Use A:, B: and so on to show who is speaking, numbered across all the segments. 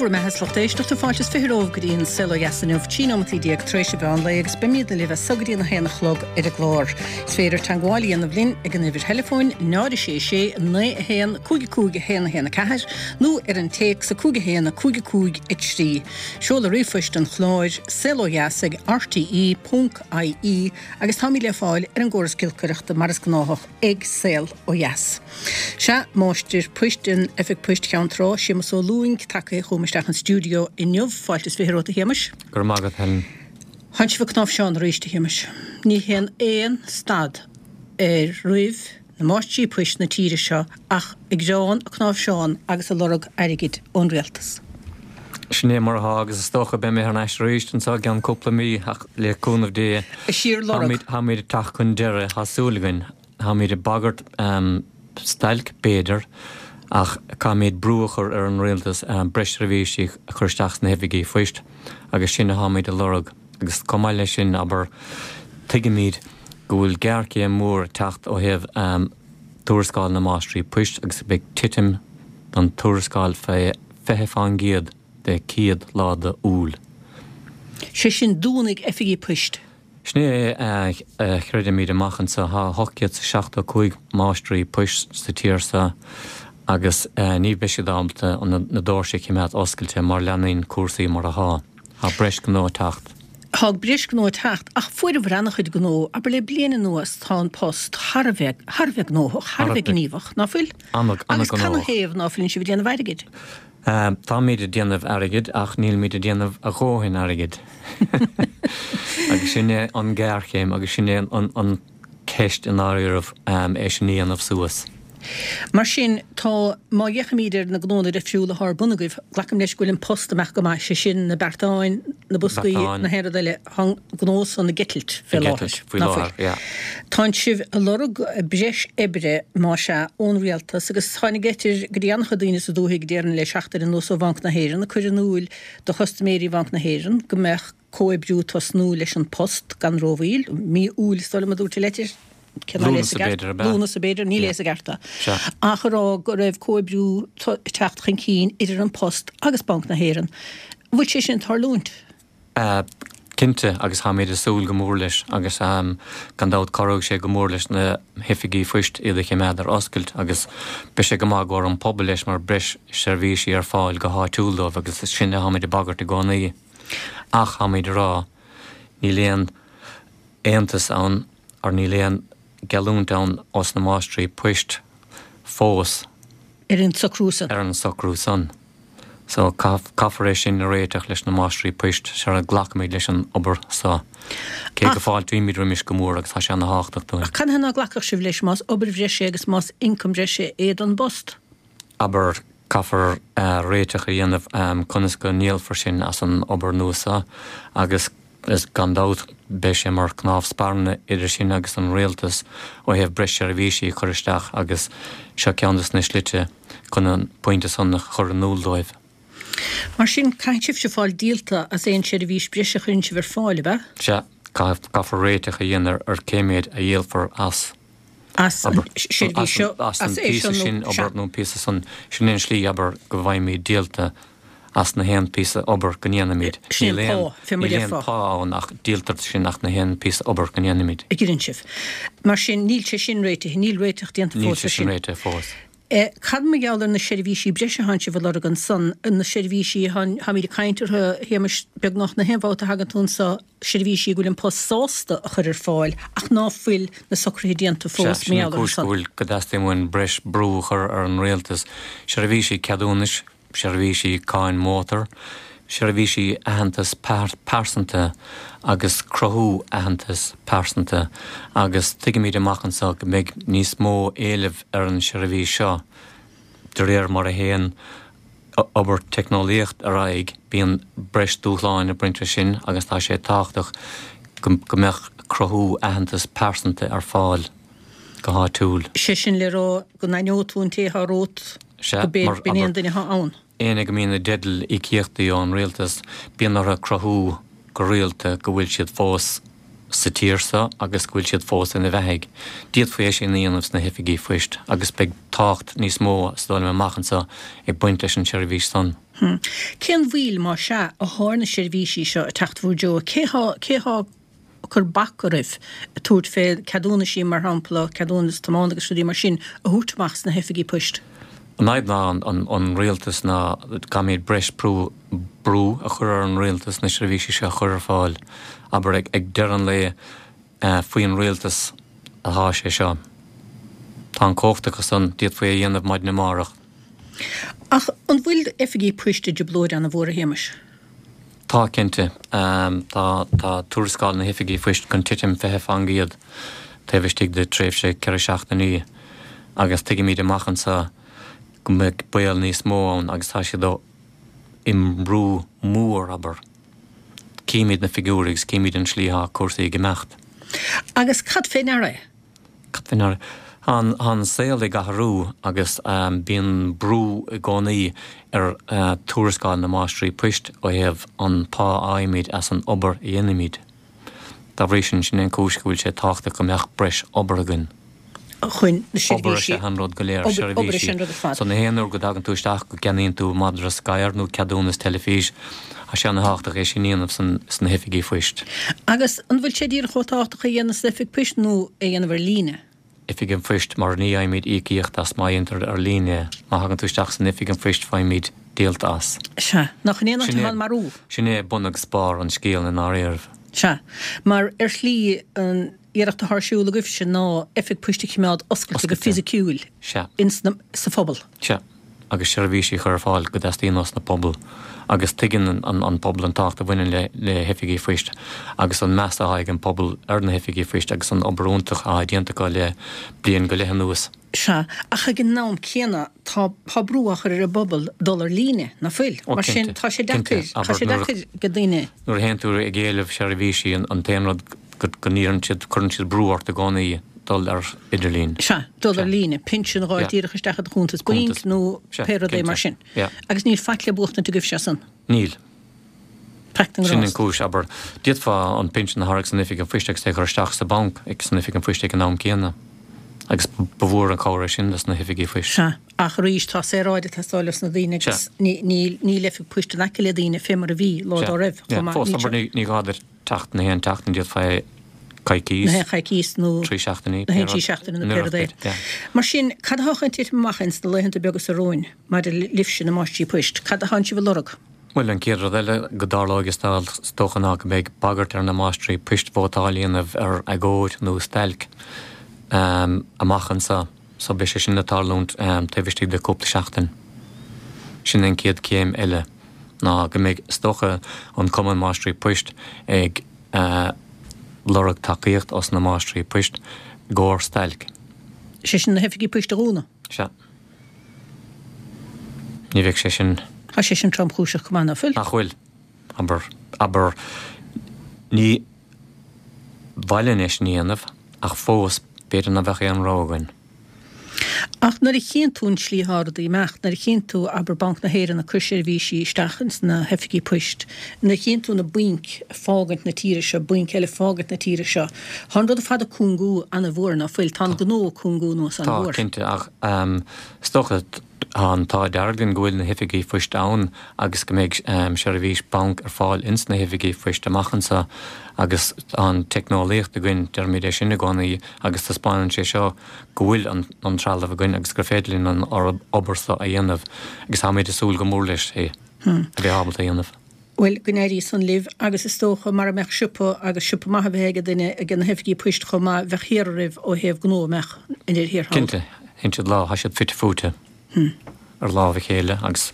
A: bhur mbeatha is lucht éisteachta, fáilte is 20 romhaibh go dtí an Saol Ó Dheas inniu, 13 nóimeataí tar éis an mheán lae agus beimidne libh as so go dtí an 1 a chlog ar an gclár. Is féidir teagmháil a dhéanamh linn ag an uimhir theileafóin 0 6 6 9 1 5 5 1 1 4 nó ar an téacs 5 1 5 5 3. Seoladh ríomhphoist an chláir, saolodheas ag rte ponc ie agus táimid le fáil ar an gcóras giolcaireachta mar is gnáthach ag Saol Ó Dheas. Sea, Máistir Poist in Oifig Poist Cheann Trá, Séamus Ó Lúing, tagtha chugam isteach an stiúideo inniu. Fáilte is 20 romhat, a Shéamais.
B: Go raibh maith agat, Helen.
A: Tánn sibh ag cnáimhseán arís, a Shéamais. Ní théann aon stad ar roimh na máistrí poist na tíre seo ach ag greán, ag cnáimhseán agus ag lorg airgid ón rialtas.
B: Sin é mar atá agus is dócha beidh mé thar n-ais arís anseo i gceann cúpla mí ach le cúnamh Dé
A: A síorlorg.
B: táimid ag teacht chun deiridh, tá súil againn. Táimid ag bagairt stailc, b'fhéidir, ach caithfimid brú a chur ar an rialtas breis seirbhísí a chur isteach sna hoifigí phoist agus sin atáimid a lorg. Agus chomh maith leis sin, abair, tuigimid go bhfuil géarchéim mhór ag teacht ó thaobh tuarascáil na máistrí poist agus beidh titim don tuarascáil fé 20 fán gcéad de chéad lá de Iúil.
A: Sé sin, dúnfaidh oifigí poist.
B: Sin é a chreidimid amach anseo. Tá 875 máistrí poist sa tír seo agus ní bheidh siad ábalta na doirse a chimeád oscailte má leanann cúrsaí mar atá. Tá breis gnó ag teacht.
A: Tá breis gnó ag teacht ach fuaireabhair an-chuid gnó. Abair le bliain anuas tá an post thar a bheith, thar a bheith gnóthach, thar a bheith gníomhach, ná fuil?
B: An-,
A: Agus canathaobh ná fuileann sibh ag déanamh airgid?
B: Táimid ag déanamh airgid ach nílimid ag déanamh a dhóthain airgid. Agus sin é an ghéarchéim agus sin é an cheist i ndáiríribh, é sin a dhéanamh suas.
A: Mar sin, tá, má fhéachaimid ar na gnónna difriúla atá ar bun agaibh, glacaim leis go bhfuil an post amach go maith, sé sin, na beartáin, na boscaí, na haon rud eile, tá an gnó san ag eitilt fé láthair,
B: faoi láthair, yeah.
A: Tánn sibh ag lorg breis oibre, más ea, ón rialtas agus tháinig leitir go dtí an-chuid daoine sa dúthaigh déarfainn le seachtain anuas ó Bhanc na hÉireann ag cur in iúil do chustaiméirí Bhanc na hÉireann go mbeadh comhoibriú ag tosnú leis An Post gan rómhoill, mí Iúil is dóigh liom a dúirt an leitir,
B: cé ná léas i gceart,
A: Lúnasa b'fhéidir, níl a fhios i gceart. Ach ag rá go raibh comhoibriú ag teacht chun cinn idir An Post agus Banc na hÉireann. Bhfuil sé sin ag tarlúint?
B: Cinnte, agus táimid ag súil go mór leis agus gan dabht cabhróidh sé go mór leis na hoifigí phoist iad a choimeád ar oscailt agus beidh sé go maith i gcomhair an pobail leis mar breis seirbhísí ar fáil go háitiúil dóibh agus is sin atáimid ag bagairt i gcónaí. Ach táimid ag rá níl aon aontas ann or níl aon geallúint ann ós na máistrí poist fós.
A: Ar an socrú san.
B: Ar an socrú san. So, caithfear é sin a réiteach leis na máistrí poist sara nglacfaimid leis an obair so. Cé go fáiltímid roimis go mór agus tá sé ana thábhachtach dúinn.
A: Ach canathaobh ná glacfadh sibh leis más obair bhreise agus más ioncam breise é don bPost?
B: Abair, caithfear réiteach a dhéanamh conas go ndíolfar sinn as an obair nua so agus Is gan dabht, beidh sé mar chnámh spairne idir sinn agus an rialtas ó thaobh breis seirbhísí a chur isteach agus seo ceann de na slite chun an pointe san a chur in iúl dóibh.
A: Mar sin, caithfidh sibhse fáil díolta as aon seirbhís breise a chuireann sibh ar fáil, ab ea?
B: Sea, caithfear réiteach a dhéanamh ar cé méid a dhíolfar as.
A: As an seirbhís seo,
B: as an píosa sin obair nó an píosa san, sin é an slí, abair, go bhfaighimid díolta as na haon píosa obair go ndéanaimid.
A: Sin é an pá, fé mar
B: a déarfá. Níl aon pá ann ach díoltar sinn as na haon píosa obair go ndéanaimid.
A: a dheineann sibh. Mar sin, níl sé sin réitithe, níl réiteach déanta
B: fós air sin. Níl sé sin réitithe fós.
A: Cad mar gheall ar na seirbhísí breise atánn sibh a lorg ansan, na seirbhísí a tháimid ag caint orthu, a Shéamais, beagnach na haon bhabhta a thagann tú anso, seirbhísí go bhfuil An Post sásta a chur ar fáil ach ná fuil na socruithe déanta
B: fós mar gheall orthu san. Sea, sin an cúis go bhfuil, go dteastaíonn uainn breis brú a chur ar an rialtas, seirbhísí ceadúnais, seirbhísí cáin mótar, seirbhísí aitheantas pearsanta agus cruthú aitheantas pearsanta agus tuigimid amach anseo go mbeidh níos mó éilimh ar an seirbhís seo de réir mar a théann obair teicneolaíocht ar aghaidh bíonn breis dúshláin ag baint leis sin agus tá sé tábhachtach go mbeadh cruthú aitheantas pearsanta ar fáil go háitiúil.
A: Sé sin le rá go n-aithneodh tú an té atá romhat.
B: Sea,
A: go b'é
B: mar,
A: b'in é an
B: abair,
A: duine atá ann.
B: éinne go mbíonn i dteideal íocaíochtaí ón rialtas, bíonn orthu cruthú go rialta go bhfuil siad fós sa tír seo agus go bhfuil siad fós ina bheathaidh. D'fhéadfaí é sin a dhéanamh sna hoifigí phoist agus beidh tábhacht níos mó, is dóigh liom, amach anseo ag baint leis an tseirbhís san.
A: Cén mhoill, má sea, athá ar na seirbhísí seo ag teacht bhur dtreo? Cé thá, cé thá ag cur bac oraibh ag tabhairt fé ceadúnaisí, mar shampla, ceadúnas tiomána agus rudaí mar sin, a thabhairt amach sna hoifigí poist?
B: An fhadhb ná an rialtas ná caithfimid breis brú brú a chur ar an rialtas na seirbhísí seo a chur ar fáil. Abair, ag deireadh an lae, faoi an rialtas atá sé seo. Tá an chumhacht acu san, d'fhéadfaí é a dhéanamh maidin amárach.
A: Ach an bhfuil oifigí poist i dtrioblóid ana-mhór, a Shéamais?
B: Tá, cinnte. Tá, tá tuarascáil na hoifigí phoist chun titim 20% taobh istigh de tréimhse 4 seachtainí agus tuigimid amach anseo go mbeidh baol níos mó ann agus tá siad i mbrú mór, abair. Címid na figiúirí agus címid an slí atá cúrsaí ag imeacht.
A: Agus cad fé ndeara é?
B: Cad fé ndeara? Tá an saol ag athrú agus bíonn brú i gcónaí ar tuarascáil na máistrí poist ó thaobh an pá a fhaighimid as an obair a dhéanaimid. Dá bhrí sin, sin é an cúis go bhfuil sé tábhachtach go mbeadh breis obair againn.
A: chun na
B: Obair is
A: seirbhísí,
B: ea an rud go léir,
A: obair, obair is ea
B: seirbhísí.
A: an rud ar fad.
B: So na haon uair go dtagann tú isteach go gceannaíonn tú madra sciar nó ceadúnas teilifís, tá sé ana-thábhachtach é sin a dhéanamh san, sna hoifigí phoist.
A: Agus an bhfuil sé díreach chomh tábhachtach é a dhéanamh san oifig poist nó é a dhéanamh ar líne?
B: Oifig an Phoist mar ní fhaighimid íocaíocht as má dhéantar ar líne é. Má thagann tú isteach san oifig an phoist faighimid díolta as.
A: Sea. Nach in é an áit atá an marú?
B: Sin é bun agus barr an scéil i ndáiríribh.
A: Sea. Mar ar shlí an iarracht atá ar siúl agaibhse ná oifig poist a choimeád oscailte go fisiciúil
B: Sea.
A: ins na, sa phobal.
B: Sea. Agus seirbhísí a chur ar fáil go dteastaíonn ós na pobal. Agus tuigeann an pobal an tábhacht a bhaineann le le hoifigí phoist agus an meas atá ag an pobal ar na hoifigí phoist agus an obair iontach atá déanta acu le bliain go leith anuas.
A: Sea, ach ag an am céanna tá tá brú á chur ar an bpobal dul ar líne, ná fuil?
B: Ó
A: Mar sin
B: cinnte,
A: tá sé
B: cinnte.
A: deacair, tá
B: Abair
A: sé
B: nuair a
A: deacair go daoine.
B: nuair a théann tú ag éileamh seirbhísí an t-aon rud go n-iarrann siad, cuireann siad brú ort i gcónaí dul ar idirlíon.
A: Sea, dul ar
B: Sea.
A: líne, pinsean a dh'fháil
B: Yeah.
A: díreach isteach i do chuntas bainc
B: Cuntas.
A: nó
B: Sea,
A: pé rud é mar
B: cinnte.
A: sin.
B: Yeah.
A: Agus níl faic le buachtaint agaibhse as san.
B: Níl.
A: Faic don
B: Sin an
A: ghrást.
B: cúis, abair. D'fhéadfá an pinsean a thairg san oifig an phoist agus é a chur isteach sa bhanc ag san oifig an phoist ag an am céanna. Agus ba mhór an cabhair é sin dos na hoifigí phoist.
A: Sea, ach arís tá saoráid ag teastáil os na daoine agus
B: Sea.
A: ní, níl, níl oifig poist in aice le daoine fé mar a bhí lá
B: Sea.
A: dá raibh
B: Yeah.
A: chomh maith.
B: Fós,
A: Níl
B: abair,
A: sé.
B: ní, ní gá duit teacht na haon tseachtain, d'fhéadfá é coicís.
A: Na haon choicís nó.
B: 3 seachtainí,
A: Na haon 3 seachtaine nó pé rud é. Mar sin, cad atá chun titim amach ins na laethanta beaga seo romhainn maidir libhse, na máistrí poist? Cad atánn sibh a lorg?
B: Bhuel, an chéad rud eile go dtarlóidh is dócha ná go mbeidh bagairt ar na máistrí poist vótáil a dhéanamh ar agóid nó stailc amach anseo. So beidh sé sin ag tarlúint taobh istigh de cúpla seachtain. Sin an chéad chéim eile, ná go mbeidh, is dócha, an Cumann Máistrí Poist ag lorg tacaíocht os na máistrí poist i gcomhair stailc.
A: Sé sin na hoifigí poist a dhúnadh?
B: Sea. Ní bheadh sé sin.
A: Tá sé sin tromchúiseach go maith, ná fuil?
B: Nach bhfuil? Abair, abair, ní mhaith linn é sin a dhéanamh, ach fós, b'fhéidir ná beadh aon rogha againn.
A: Ach nuair a chíonn tú an tslí atá rudaí ag imeacht, nuair a chíonn tú, abair, Banc na hÉireann ag cur seirbhísí isteach ins na hoifigí poist, nuair a chíonn tú na bainc ag fágaint na tíre seo, bainc eile ag fágaint na tíre seo, tá an rud ar fad ag cúngú ana-mhór, ná fuil? Tá an gnó ag cúngú anuas
B: Tá,
A: ana-mhór.
B: cinnte, ach is dócha, Tá an t-ádh dearg linn go bhfuil na hoifigí phoist ann agus go mbeidh seirbhís banc ar fáil ins na hoifigí phoist amach anseo agus tá an teicneolaíocht againn, deirimid é sin i gcónaí agus taispeánann sé seo go bhfuil an trealamh againn agus gur féidir linn an obair seo a dhéanamh agus táimid ag súil go mór leis é a bheith ábalta a dhéanamh.
A: Bhuel, go n-éirí san libh, agus is dócha, mara mbeadh siopa, agus siopa maith a bheith ag duine, ag na hoifigí poist chomh maith, bheadh thiar oraibh ó thaobh gnó, an mbeadh, i ndeireadh thiar thall?
B: Cinnte, sheinn siad lá, tá siad fite fuaite ar lámh a chéile agus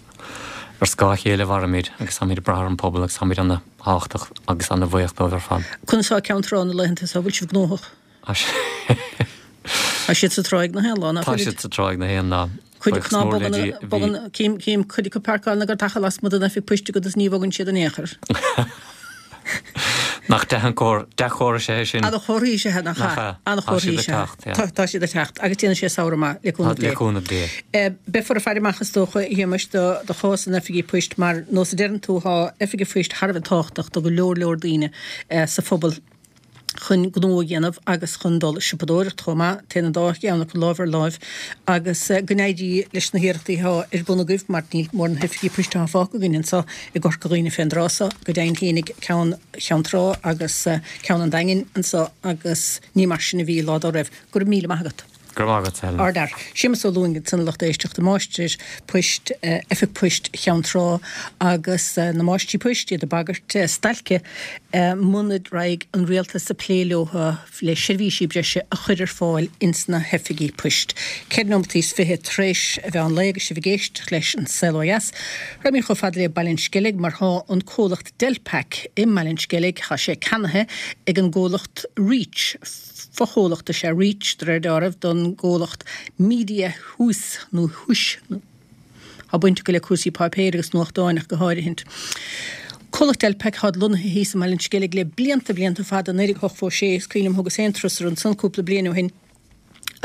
B: ar scáth a chéile a mhairimid agus táimid ag brath ar an pobal agus táimid ana-thábhachtach agus ana-bhuíoch dóibh ar fad.
A: Conas tá Ceann Trá na laethanta seo, bhfuil sibh gnóthach? Tá siad sa tráigh na haon lá, ná
B: Tá
A: fuilid?
B: siad sa tráigh na haon lá.
A: Cuid acu
B: Buíochas
A: ná
B: mór le
A: bogann,
B: Dia, bhí.
A: bogann, cím, cím cuid acu páirceáil na gcartacha lasmuigh den oifig poist agat is ní bhogann siad in aon chor.
B: Nach dea-chomhartha is ea é sin?
A: Ana-chomhartha is ea, nach
B: Nach
A: ea?
B: ea? Tá
A: Ana-chomhartha
B: siad ag
A: is ea.
B: teacht, yeah.
A: Tá, tá siad ag teacht agus déanfaidh sé samhradh maith, le cúnamh
B: Le
A: Dé.
B: cúnamh Dé.
A: Beifear ag faire amach is dócha, a Shéamais, do, do chás na n-oifigí poist mar nós a deireann tú, tá oifigí poist thar a bheith tábhachtach do go leor leor daoine sa phobal. Chun gnó a dhéanamh agus chun dul ag siopadóireacht chomh maith. Téann an dá cheann acu lámh ar láimh agus go n-éirí leis na hiarrachtaí atá ar bun agaibh mar níl mórán oifigí poist atá fágtha againn anseo i gCorca Dhuibhne fén dtráth so, go deimhin fhéinig ceann Cheann Trá agus ceann an Daingin anseo agus ní mar sin a bhí lá dá raibh. Go raibh míle maith agat.
B: Go raibh maith agat, Helen.
A: Ardfhear. Séamus Ó Lúing ansan a lucht éisteachta, máistir poist Oifig Poist Cheann Trá agus na máistrí poist, iad ag bagairt stailce muna raghaidh an rialtas ag plé leo le seirbhísí breise a chur ar fáil ins na hoifigí poist. Ceithre nóimeataí is fiche tar éis a mheán lae agus sibh ag éisteacht leis An Saol Ó Dheas. Raghaimid chomh fada le Baile an Sceilg mar thá an comhlacht Delpac i mBaile an Sceilg, thá sé ceannaithe ag an gcomhlacht Reach. Fochomhlacht is ea Reach, de réir dealraimh, don gcomhlacht Mediahuis nó Huis. Tá baint acu le cúrsaí páipéir agus nuachtáin ach go háirithint. Comhlacht Delpac atá lonnaithe thíos i mBaile an Sceilg le blianta, blianta fada, 1986, is cuimhin liom thugas féin turas orthu ansan cúpla bliain ó shin.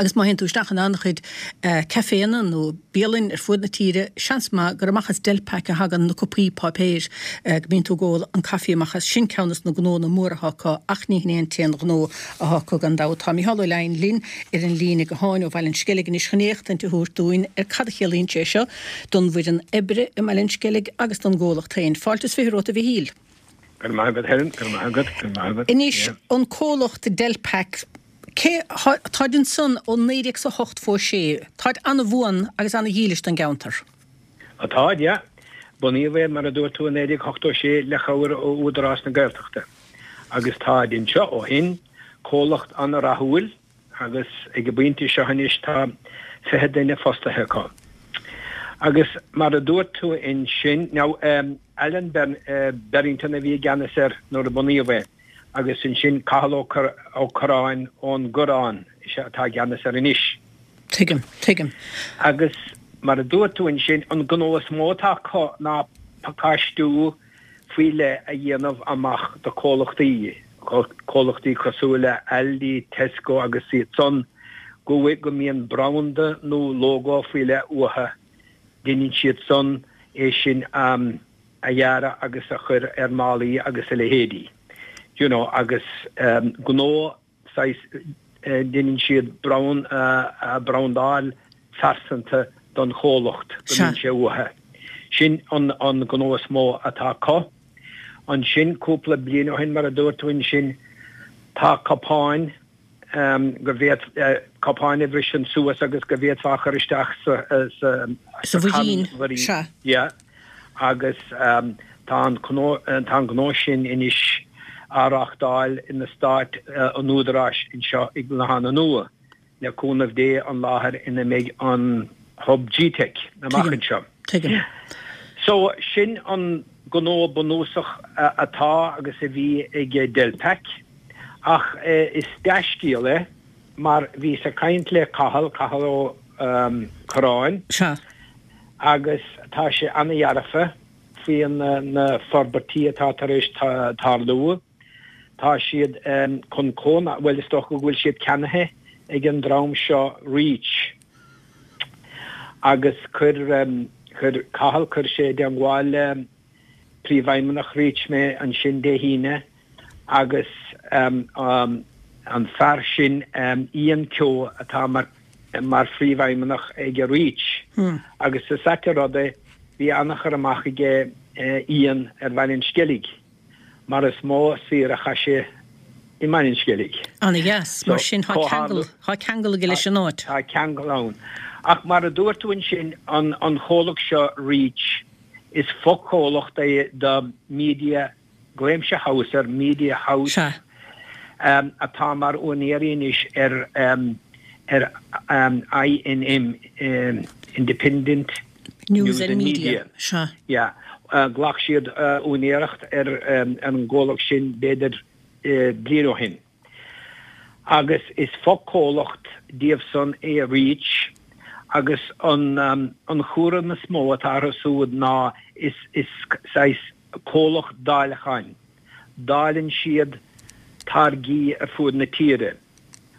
A: Agus má théann tú isteach in an-chuid caiféanna nó bialainn ar fuaid na tíre, seans maith gur amach as Delpac a thagann na cupaí páipéir go mbíonn tú ag ól an caife amach as. Sin ceann des na gnónna móra atá acu ach ní hin é an t-aon ghnó atá acu gan dabht. Tá Micheál Ó Leidhin linn ar an líne gutháin ó Bhaile an Sceilg anois chun éachtaint a thabhairt dúinn ar cad a chiallaíonn sé seo don bhfoireann oibre i mBaile an Sceilg agus don gcomhlacht féin. Fáilte is 20 romhat a Mhichíl.
C: Go raibh maith agat Helen, go raibh maith agat, go raibh maith agat.
A: Anois, an comhlacht Delpac, cé, táid ansan ó 1986, táid ana-bhuan agus ana-dhílis don gceantar.
C: Á táid, yeah. Bunaíodh é, mar a dúirt tú, i 1986 le chabhair ó Údarás na Gaeltachta. Agus táid anseo ó shin, comhlacht ana-rathúil, agus ag an bpointe seo anois tá 20 duine fostaithe acu. Agus mar a dúirt tú ansin, now Alan Berrington a bhí i gceannas air nuair a bunaíodh é agus ansin Cathal Ó Curráin ón gCurrán is ea atá i gceannas air anois.
A: Tuigim, tuigim.
C: Agus mar a dúirt tú ansin, an gnó is mó atá acu ná pacáistiú faoi leith a dhéanamh amach do comhlachtaí, comhlachtaí cosúil le Aldi, Tesco agus iad san, go bhfuil, go mbíonn branda nó lógó faoi leith uathu, deineann siad san é sin a dhearadh agus a chur ar málaí agus a leithéidí. You know, agus gnó saghas, deineann siad brandáil phearsanta don chomhlacht go mbíonn sé uathu. Sin an gnó is mó atá acu. Ansin, cúpla bliain ó shin, mar a dúirt tú ansin, tá cupáin go bhféad, cupáin a bhriseann suas agus go bhféadfá a chur isteach sa,
A: sa mhuirín, sea.
C: Yeah. Agus tá an tá an gnó sin anois á reáchtáil in eastát an Údaráis anseo i gClochán Nua, le cúnamh Dé an láthair ina mbeidh an Hub G-Teic amach anseo.
A: Tuigim.
C: So, sin an gnó bunúsach atá agus a bhí ag Delpac. Ach is dea-scéal é mar bhíos ag caint le Cathal, Cathal Ó Curráin.
A: Sea.
C: agus tá sé ana-dhearfa faoi na forbairtí atá tar éis tarlú. Tá siad chun cóna, bhuel is dócha go bhfuil siad ceannaithe ag an dream seo Reach agus chuir, chuir Cathal, chuir sé i dteangmháil le Príomhfheidhmeannach Reach mé ansin Dé hAoine agus an fear sin Ian Keogh atá mar mar phríomhfheidhmeannach ag Reach agus is ait an rud é bhí an-chur amach aige Ian ar Bhaile an Sceilg mar is mó saoire a chaith sé i mBaile an Sceilg.
A: Ana-dheas. Mar sin tá ceangal, tá ceangal aige leis an áit.
C: Tá ceangal ann. Ach mar a dúirt tú ansin, an chomhlacht seo Reach, is fochomhlacht é do Media Glaoimse House ar Media House
A: Sea.
C: atá mar úinéirí anois ar ar INM, Independent
A: News and Media. Sea.
C: Yeah. Ghlac siad úinéireacht ar an gcomhlacht sin b'fhéidir bliain ó shin. Agus is fochomhlacht díobh san é Reach agus an an chúram is mó atá orthu siúd ná is is saghas comhlacht dáileacháin. Dáileann siad táirgí ar fuaid na tíre.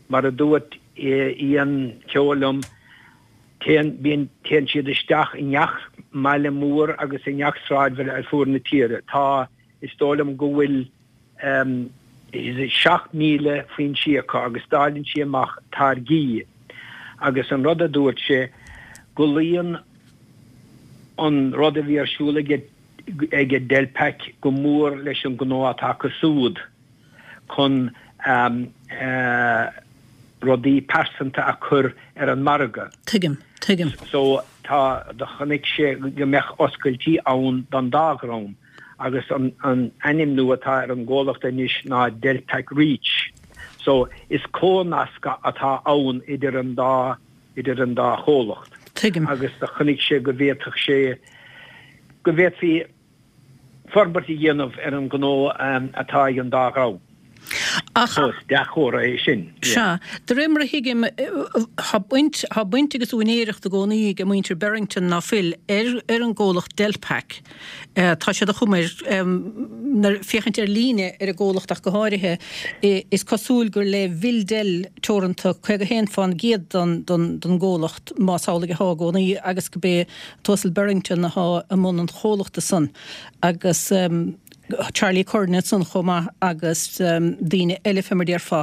C: Mar a dúirt Ian Keogh liom, téann, bíonn, téann siad isteach i ngach mbaile mór agus i ngach sráidbhaile ar fuaid na tíre. Tá, is dóigh liom go bhfuil. 7,000 foinsí acu agus dáileann sí amach táirgí agus an rud a dúirt sé go luíonn an rud a bhí ar siúl aige ag Delpac go mór leis an gnó atá acu súd chun rudaí pearsanta a chur ar an margadh.
A: Tuigim, tuigim.
C: So tá, do chonaic sé go mbeadh oscailtí ann don dá dhream agus an ainmniú atá ar an gcomhlacht anois ná Delpac Reach. So is comhnascadh atá ann idir an dá, idir an dá chomhlacht.
A: Tuigim.
C: Agus do chonaic sé go bhféadfadh sé, go bhféadfaí forbairt a dhéanamh ar an ngnó atá ag an dá dhream.
A: Ach.
C: So is dea-chomhartha é sin.
A: Sea. De réir mar a thuigim, tá baint, tá baint agus úinéireacht i gcónaí ag muintir Berrington, ná fuil, ar ar an gcomhlacht Delpac. Tá sé de chuma air, nuair féachaint ar líne ar an gcomhlacht ach go háirithe, is cosúil gur le Vildel Teoranta 51% den den gcomhlacht, más amhlaidh atá i gcónaí, agus go b'é an tUasal Berrington atá i mbun an chomhlachta san agus Charlie Curran ansan chomh maith agus daoine eile fé mar déarfá.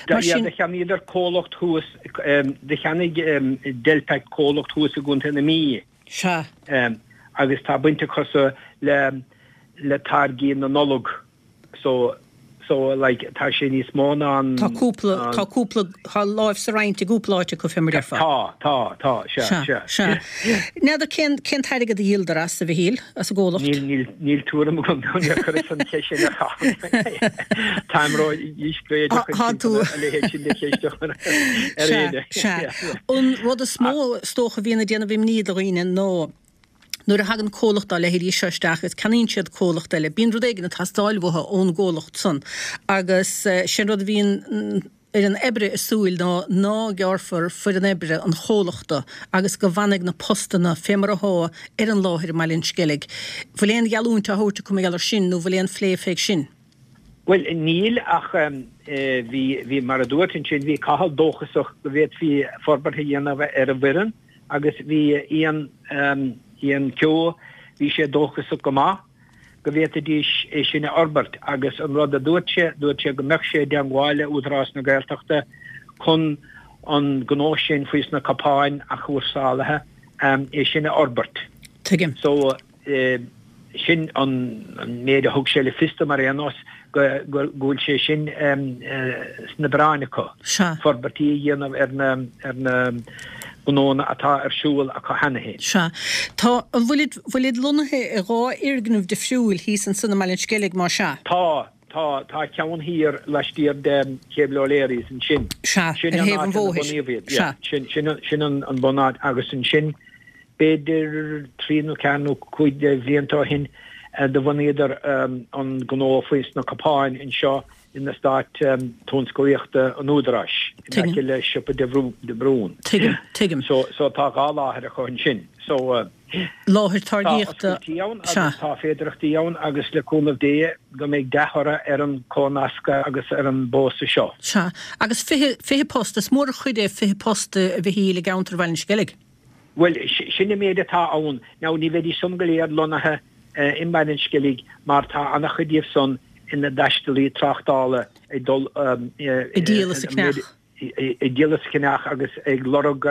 C: Mar sin. Do cheannaíodar comhlacht thuas, do cheannaigh Delpac comhlacht thuas i gContae na Mí.
A: Sea.
C: Agus tá baint acusa le le táirgí na Nollag so so like tá sé níos mó ná an.
A: Tá cúpla, tá cúpla, tá láimh sa roinnt i gcúpla áit acu fé mar déarfá.
C: Tá, tá, tá, sea,
A: sea. Sea, sea. N'fheadar cén, cén t-airgead a dhíoladar as, a Mhichíl, as an gcomhlacht?
C: Níl, níl, níl tuairim agam, níor chuireas an cheist sin ar Chathal. Táim ró-dhíscréideach
A: Tá tú.
C: a leithéid sin de cheist a chur ar éinne.
A: Sea, sea. An rud is mó, is dócha, a bhíonn ag déanamh imní do dhaoine ná nuair a thagann comhlacht dá leithéidí seo isteach agus ceannaíonn siad comhlacht eile, bíonn rud éigin ag teastáil uathu ón gcomhlacht san agus sé an rud a bhíonn fhoireann oibre ag súil ná ná gearrfar foireann oibre an chomhlachta agus go bhfanfaidh na postanna fé mar athá ar an láthair i mBaile an Sceilg. Bhfuil aon gheallúint á thabhairt acu mar gheall ar sin nó bhfuil aon phlé fé sin?
C: Bhuel, níl ach bhí, bhí, mar a dúirt ansin, bhí Cathal dóchasach go bhféadfaí forbairt a dhéanamh ar an bhfoireann agus bhí Ian, Ian Keogh, bhí sé dóchasach go maith go bhféadfaidís é sin a fhorbairt agus an rud a dúirt sé, dúirt sé go mbeadh sé i dteangmháil le Údarás na Gaeltachta chun an gnó sin faoi sna cupáin athchúrsálaithe, é sin a fhorbairt.
A: Tuigim.
C: So, Sin an méid a thug sé le fios dom ar aon nós, go bhfuil sé sin sna bioráin acu, forbairtí a dhéanamh ar na gnónna atá ar siúl acu cheana féin.
A: Sea. Tá, an bhfuilid, bhfuilid lonnaithe i dhá fhoirgneamh difriúil thíos ansan i mBaile an Sceilg, más ea?
C: Tá, tá, tá ceann thiar laistiar de Cable O'Leary's ansin.
A: Sea, ar thaobh an bhóthair.
C: Sea. Sin, sin an bunáit agus ansin B'fhéidir trí nó ceathair nó cúig de bhlianta ó shin do bhunaíodar an gnó faoi sna cupáin anseo in eastát tionsclaíochta an Údaráis, in aice le siopa de Brún.
A: Tuigim, tuigim.
C: So, so tá dhá láthair acu ansin. So,
A: Láthair táirgíochta,
C: tá oscailtí ann
A: sea.
C: agus tá féidearthachtaí ann agus le cúnamh Dé go mbeidh dea-thoradh ar an comhnascadh agus ar an bpósadh seo.
A: Sea. Agus 20, 20 post, is mór an chuid é 20 post a Mhichíl i gceantar Bhaile an Sceilg.
C: Bhuel, sin an méid atá ann. Now, ní bheidís san go léir lonnaithe i mBaile an Sceilg mar tá an-chuid díobh san ina dtaistealaí tráchtála ag dul
A: Ag díol is ag ceannach.
C: Ag díol is ag ceannach agus ag lorg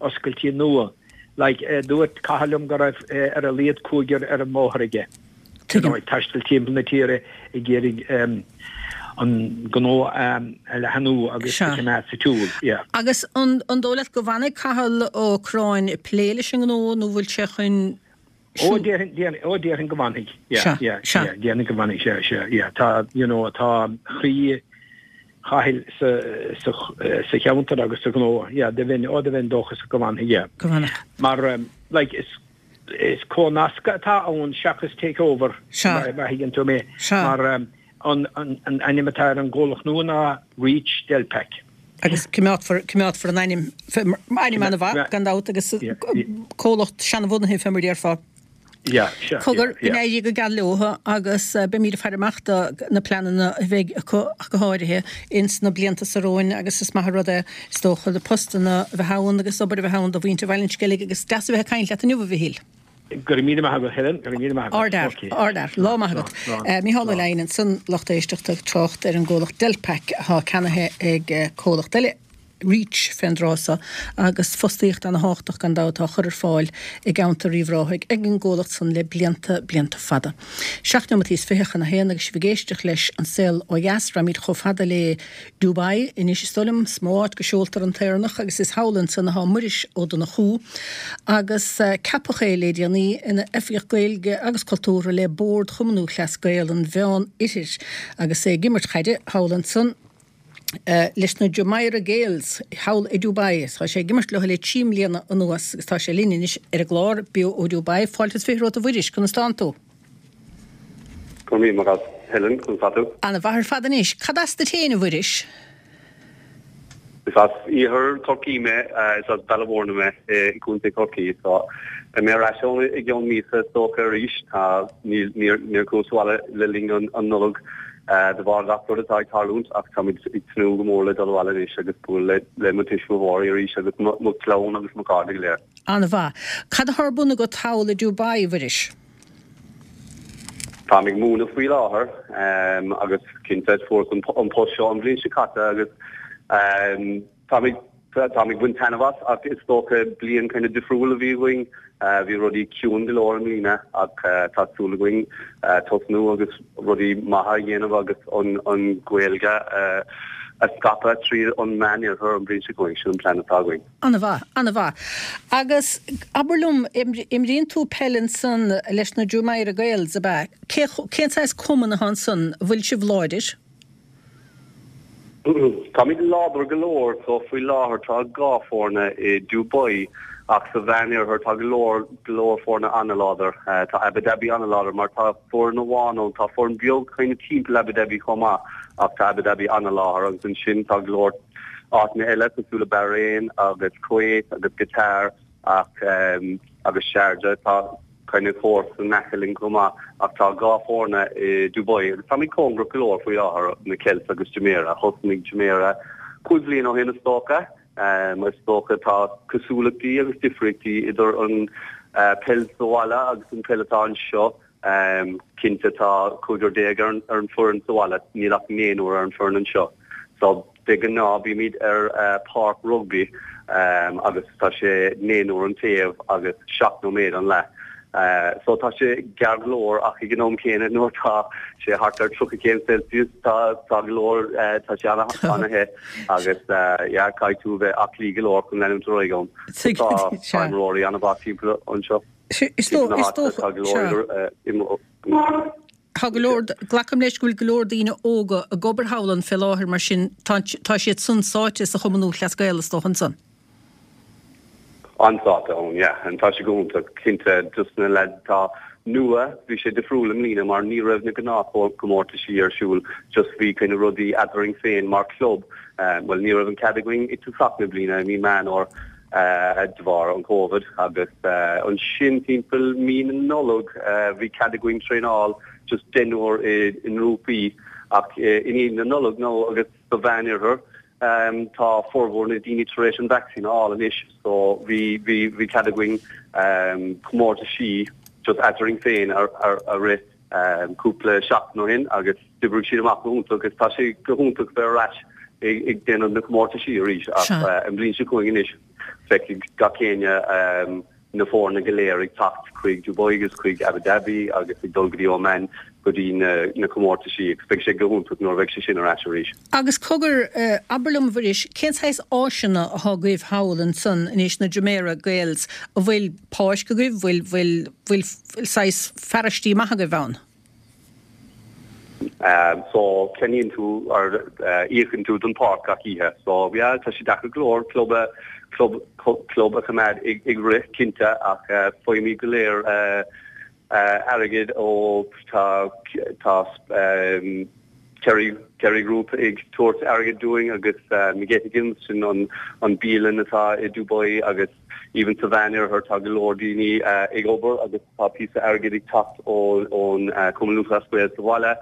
C: oscailtí nua. Like, dúirt Cathal liom go raibh ar a laghad cúigear ar an mbóthar aige.
A: Tuigim.
C: Ag taisteal timpeall na tíre ag iarraidh an gnó a leathnú agus a choimeád sa tsiúl. Yeah.
A: Agus an dóigh leat go bhfanfaidh Cathal Ó Curráin ag plé leis an ngnó nó bhfuil sé chun
C: Ó, déarfainn, ó, déarfainn go bhfanfaidh. Yeah,
A: Sea,
C: yeah,
A: sea.
C: yeah, déarfainn go bhfanfaidh, sea, sea, yeah. Tá, you know, tá croí Chathail sa, sa, sa cheantar agus sa ghnó. Yeah, do bheinn, ó, do bheinn dóchasach go bhfanfaidh, yeah.
A: Go bhfanfaidh.
C: Mar, like, is Is comhnascadh atá ann seachas takeover, má thuigeann tú mé, mar an ainm atá ar an gcomhlacht nua ná Reach Delpac.
A: Agus coimeádfar, coimeádfar an ainm, ainm an-mhaith, gan dabht, agus comhlacht seanbhunaithe fé mar a déarfá. Cogar, go n-éirí go geal leo agus beimid ag faire amach do na pleananna a bheidh acu ach go háirithe ins na blianta so romhainn agus is maith an rud é is dócha na postanna a bheith ann agus obair a bheith ann do mhuintir Bhaile an Sceilg agus deas a bheith ag caint leat inniu a Mhichíl.
C: Go raibh míle maith agat, Helen, go raibh míle maith agat.
A: Ardfhear, ardfhear. Lá maith agat. Mícheál Ó Leidhin ansan, lucht éisteachta, ag trácht ar an gcomhlacht Delpac atá ceannaithe ag comhlacht eile, Reach, fén dtráth so, agus fostaíocht ana-thábhachtach gan dabht á chur ar fáil i gceantar Uíbh Ráthaigh ag an gcomhlacht san le blianta, blianta fada. Seacht neomataí is fiche chun a haon agus sibh ag éisteacht leis An Saol Ó Dheas. Raghaimid chomh fada le Dubai anois is dóigh liom, is mó áit go seoltar an tÉireannach agus is thall ansan atá Muiris Ó Donnchú agus ceapadh é le déanaí ina Oifigeach Gaeilge agus Cultúrtha le Bord Chumann Lúthchleas Gael an Mheán Oirthir agus é ag imirt chaide thall ansan leis na Jumeirah Gaels thall i Dubai. Tá sé ag imirt leo le 3 mbliana anuas agus tá sé linn anois ar an gclár Beo ó Dubai. Fáilte is fiche romhat a Mhuiris, conas tánn tú?
D: Go raibh míle maith agat, Helen, conas tá tú?
A: Ana mhaith ar fad anois. Cad as duit féin, a Mhuiris?
D: Is as iarthar Chorcaí mé, is as Baile Mhúirne mé i gContae Chorcaí. So, beidh mé ar ais ann i gceann míosa is dócha arís. Tá, níl, níor, níor chuas abhaile le linn an, an Nollag de bharr gach rud atá ag tarlúint ach táimid ag tnúth go mór le dul abhaile anois agus bualadh le, le mo tuismitheoirí arís agus mo, mo chlann agus mo chairde go léir.
A: Ana mhaith. Cad atá ar bun agat thall i Dubai, a Mhuiris?
D: Táim ag múineadh faoi láthair agus cinnte fuaireas an post seo an bhliain seo caite agus táim ag táim ag baint taitneamh as ach is dócha bliain kind of difriúil a bhí againn. Bhí rudaí ciúin go leor i mbliana ach tá súil againn tosnú agus rudaí maithe a dhéanamh agus an an Ghaeilge a scaipeadh tríd an Meánoirthear an bhliain seo chugainn. Sin an plean atá againn.
A: An-mhaith, an-mhaith. Agus abair liom, imríonn tú peil ansan leis na Jumeirah Gaels, ab ea? Cé, cén saghas cumann atá ansan? An bhfuil sibh láidir?
D: Táimid láidir go leor, so faoi láthair tá 2 foirne i Dubai ach sa Mheánoirthear tá go leor, go leor foirne an-láidir. Tá Abu Dhabi an-láidir mar tá foireann amháin ann, tá foireann beag kind of timpeall Abu Dhabi chomh maith ach tá Abu Dhabi an-láidir agus ansin tá go leor áiteanna eile cosúil le Bahrain agus Kuwait agus Qatar ach agus Sharjah. Tá kind of comharsa in aice linn chomh maith ach tá 2 foirne i Dubai agus táimid cóngarach go leor faoi láthair, na Celts agus Jumeirah. Thosnaigh Jumeirah cúig bhliain ó shin is dócha. Is dócha tá cosúlachtaí agus difríochtaí idir an peil sa bhaile agus an peil atá anseo. Cinnte tá cúigear déag ar an foireann sa bhaile, níl ach naonúr ar an foireann anseo. So de ghnáth bímid ar páirc rugbaí agus tá sé naonúr an taobh agus 7 nóiméad an leath. So tá sé gearr go leor ach ag an am céanna nuair atá sé thart ar 30 céim Celsius tá tá go leor tá sé ana-the agus yeah caithfidh tú a bheith aclaí go leor chun leanúint ar aghaidh ann. Tá imreoirí an-mhaith timpeall anseo.
A: Is dócha, tá go leor, glacaim leis go bhfuil go leor daoine óga ag obair thall ann fé láthair mar sin tá siad san sáite sa Chumann Lúthchleas Gael is dócha ansan.
D: An-sáite ann, yeah, and tá sé go hiontach, cinnte, just na lads atá nua, bhí sé difriúil i mbliana mar ní raibh na gnáthchomórtaisí ar siúl, just bhí kind of rudaí eadrainn féin mar club, bhuel ní raibh an cead againn i dtosach na bliana i mí Meán Fhómhair, de bharr an Covid agus ansin timpeall mí na Nollag bhí cead againn traenáil just deichniúr i ngrúpaí ach i ndiaidh na Nollag nó agus sa Mheánoirthear tá formhór na daoine tar éis an vacsaín a fháil anois so bhí bhí bhí cead againn comórtaisí just eadrainn féin a a rith cúpla seachtain ó shin agus d'oibrigh siad amach go hiontach agus tá sé go hiontach bheith ar ais ag déanamh na comórtaisí arís ach an bhliain seo chugainn anois feicfidh gach éinne na foirne go léir ag teacht chuig Dubai agus chuig Abu Dhabi agus ag dul go dtí Oman go dtí na comórtaisí agus beidh sé go hiontach nuair a bheidh sé sin ar ais arís.
A: Agus cogar, abair liom a Mhuiris, cén saghas áiseanna atá agaibh thall ansan anois, na Jumeirah Gaels, an bhfuil páirc agaibh, bhfuil, bhfuil, bhfuil saghas fearaistí maith agaibh ann?
D: So ceannaíonn tú or íocann tú don pháirc gach oíche. So yeah tá sé deacair go leor club a club club a choimeád ag rith cinnte ach faighimid go léir airgead ó tá tá Kerry Kerry Group ag tabhairt airgead dúinn agus McGettigan's sin an an bialann atá i Dubai agus Even sa Mheánoirthear tá go leor daoine ag obair agus tá píosa airgid ag teacht ón Cumann Lúthchleas Gael sa bhaile.